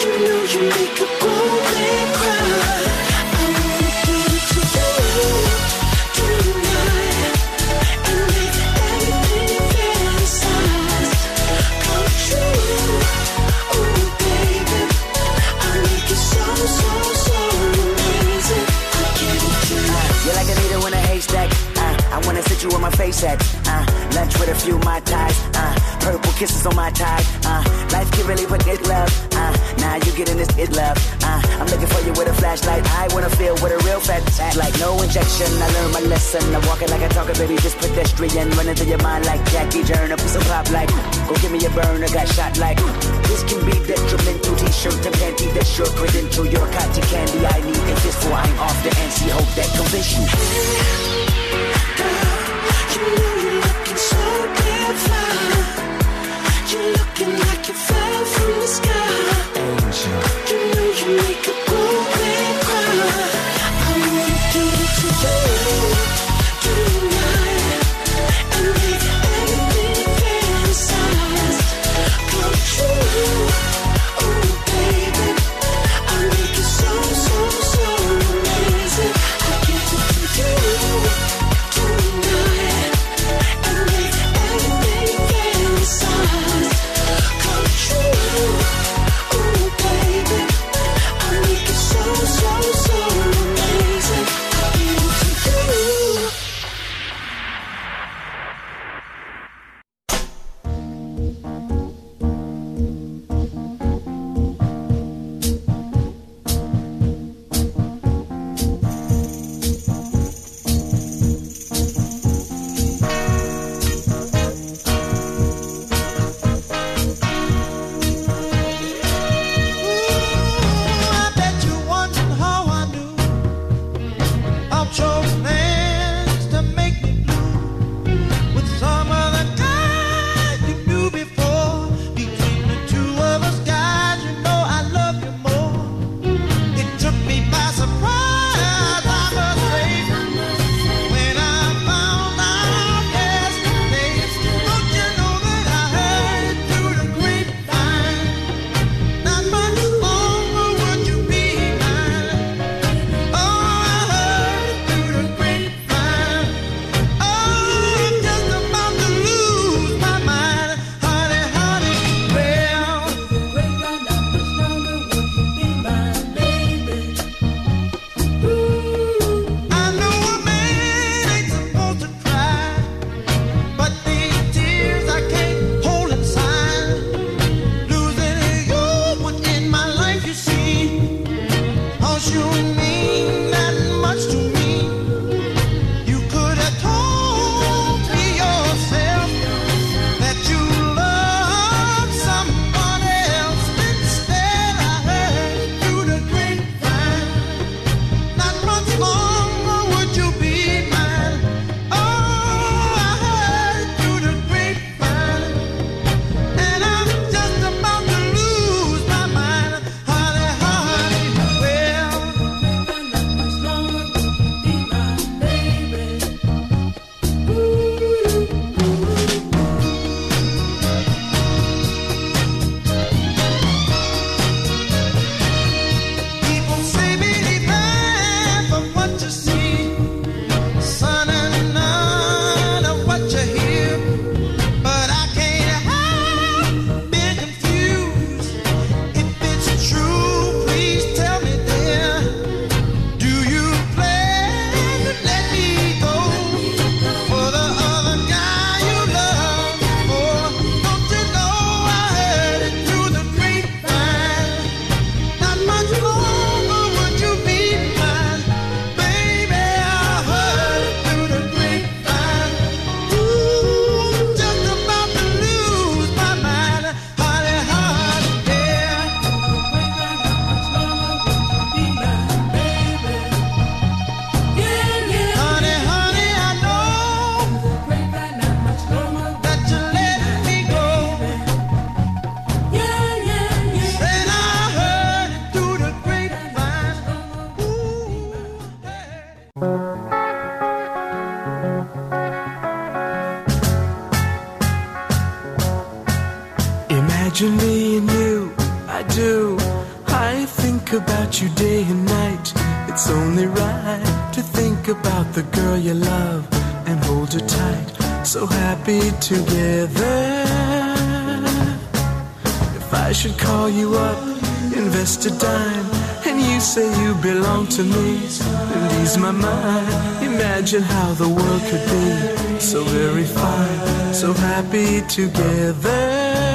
You know you make a grown man cry. I wanna give it to you. you where my face at. Uh, lunch with a few my ties. Uh, purple kisses on my tie. Uh, life can really put it love. Uh, now you getting this it love. Uh, I'm looking for you with a flashlight. I wanna feel with a real fat act like no injection. I learned my lesson. I'm walking like I talk it, baby, just pedestrian. Running through your mind like Jackie Turner. Put some pop like, go give me a burner. Got shot like, this can be detrimental. T-shirt and panty, that's your credential. Your cotton candy, I need a fistful. I'm off the N C, hope that convince you. Hey, girl, you know you're looking so damn fine. You're looking like you fell from the sky. Angel. You know you make a grown man cry. I wanna give it to you tonight and make everything fantasized come true. Oh baby, I make it so so so amazing. I give it to you tonight and make everything fantasized come true. Oh baby, I make it so so so amazing. I give it to you. I bet you wondering how I knew I chose plans to make me blue with some other guy you knew before. Between the two of us, guys, you know I love you more. It took me by surprise, I must say, when I found out yesterday. Don't you know that I heard it through the grapevine? Not much longer would you be mine. Oh, I heard it through the grapevine. Oh, I'm just about to lose my mind, honey, honey. Well, I know a man ain't supposed to cry, but these tears I can't hold inside. Losing you was in my life, you see. 'Cause you mean that much to me. You could have told me yourself that you love someone else. Instead, I heard it through the grapevine. Not much longer would you be mine. Oh, I heard it through the grapevine. And I'm just about to lose my mind, honey, honey. Well, people say believe half of what you see, son, and none of what you hear. But I can't help being confused. If it's true, please tell me, dear. Do you plan to let me go for the other guy you love before? Don't you know I heard it through the grapevine? Not much longer would you be mine, baby. I heard it through the grapevine. Ooh, I'm just about to lose my mind, honey, honey, yeah. Honey, honey, I know that you let me go. Said I heard it through the grapevine. Ooh, Imagine me and you, I do. I think about you day and night. It's only right to think about the girl you love and hold her tight. So happy together. If I should call you up, invest a dime, and you say you belong to me, then these ease my mind. Imagine how the world could be so very fine, so happy together.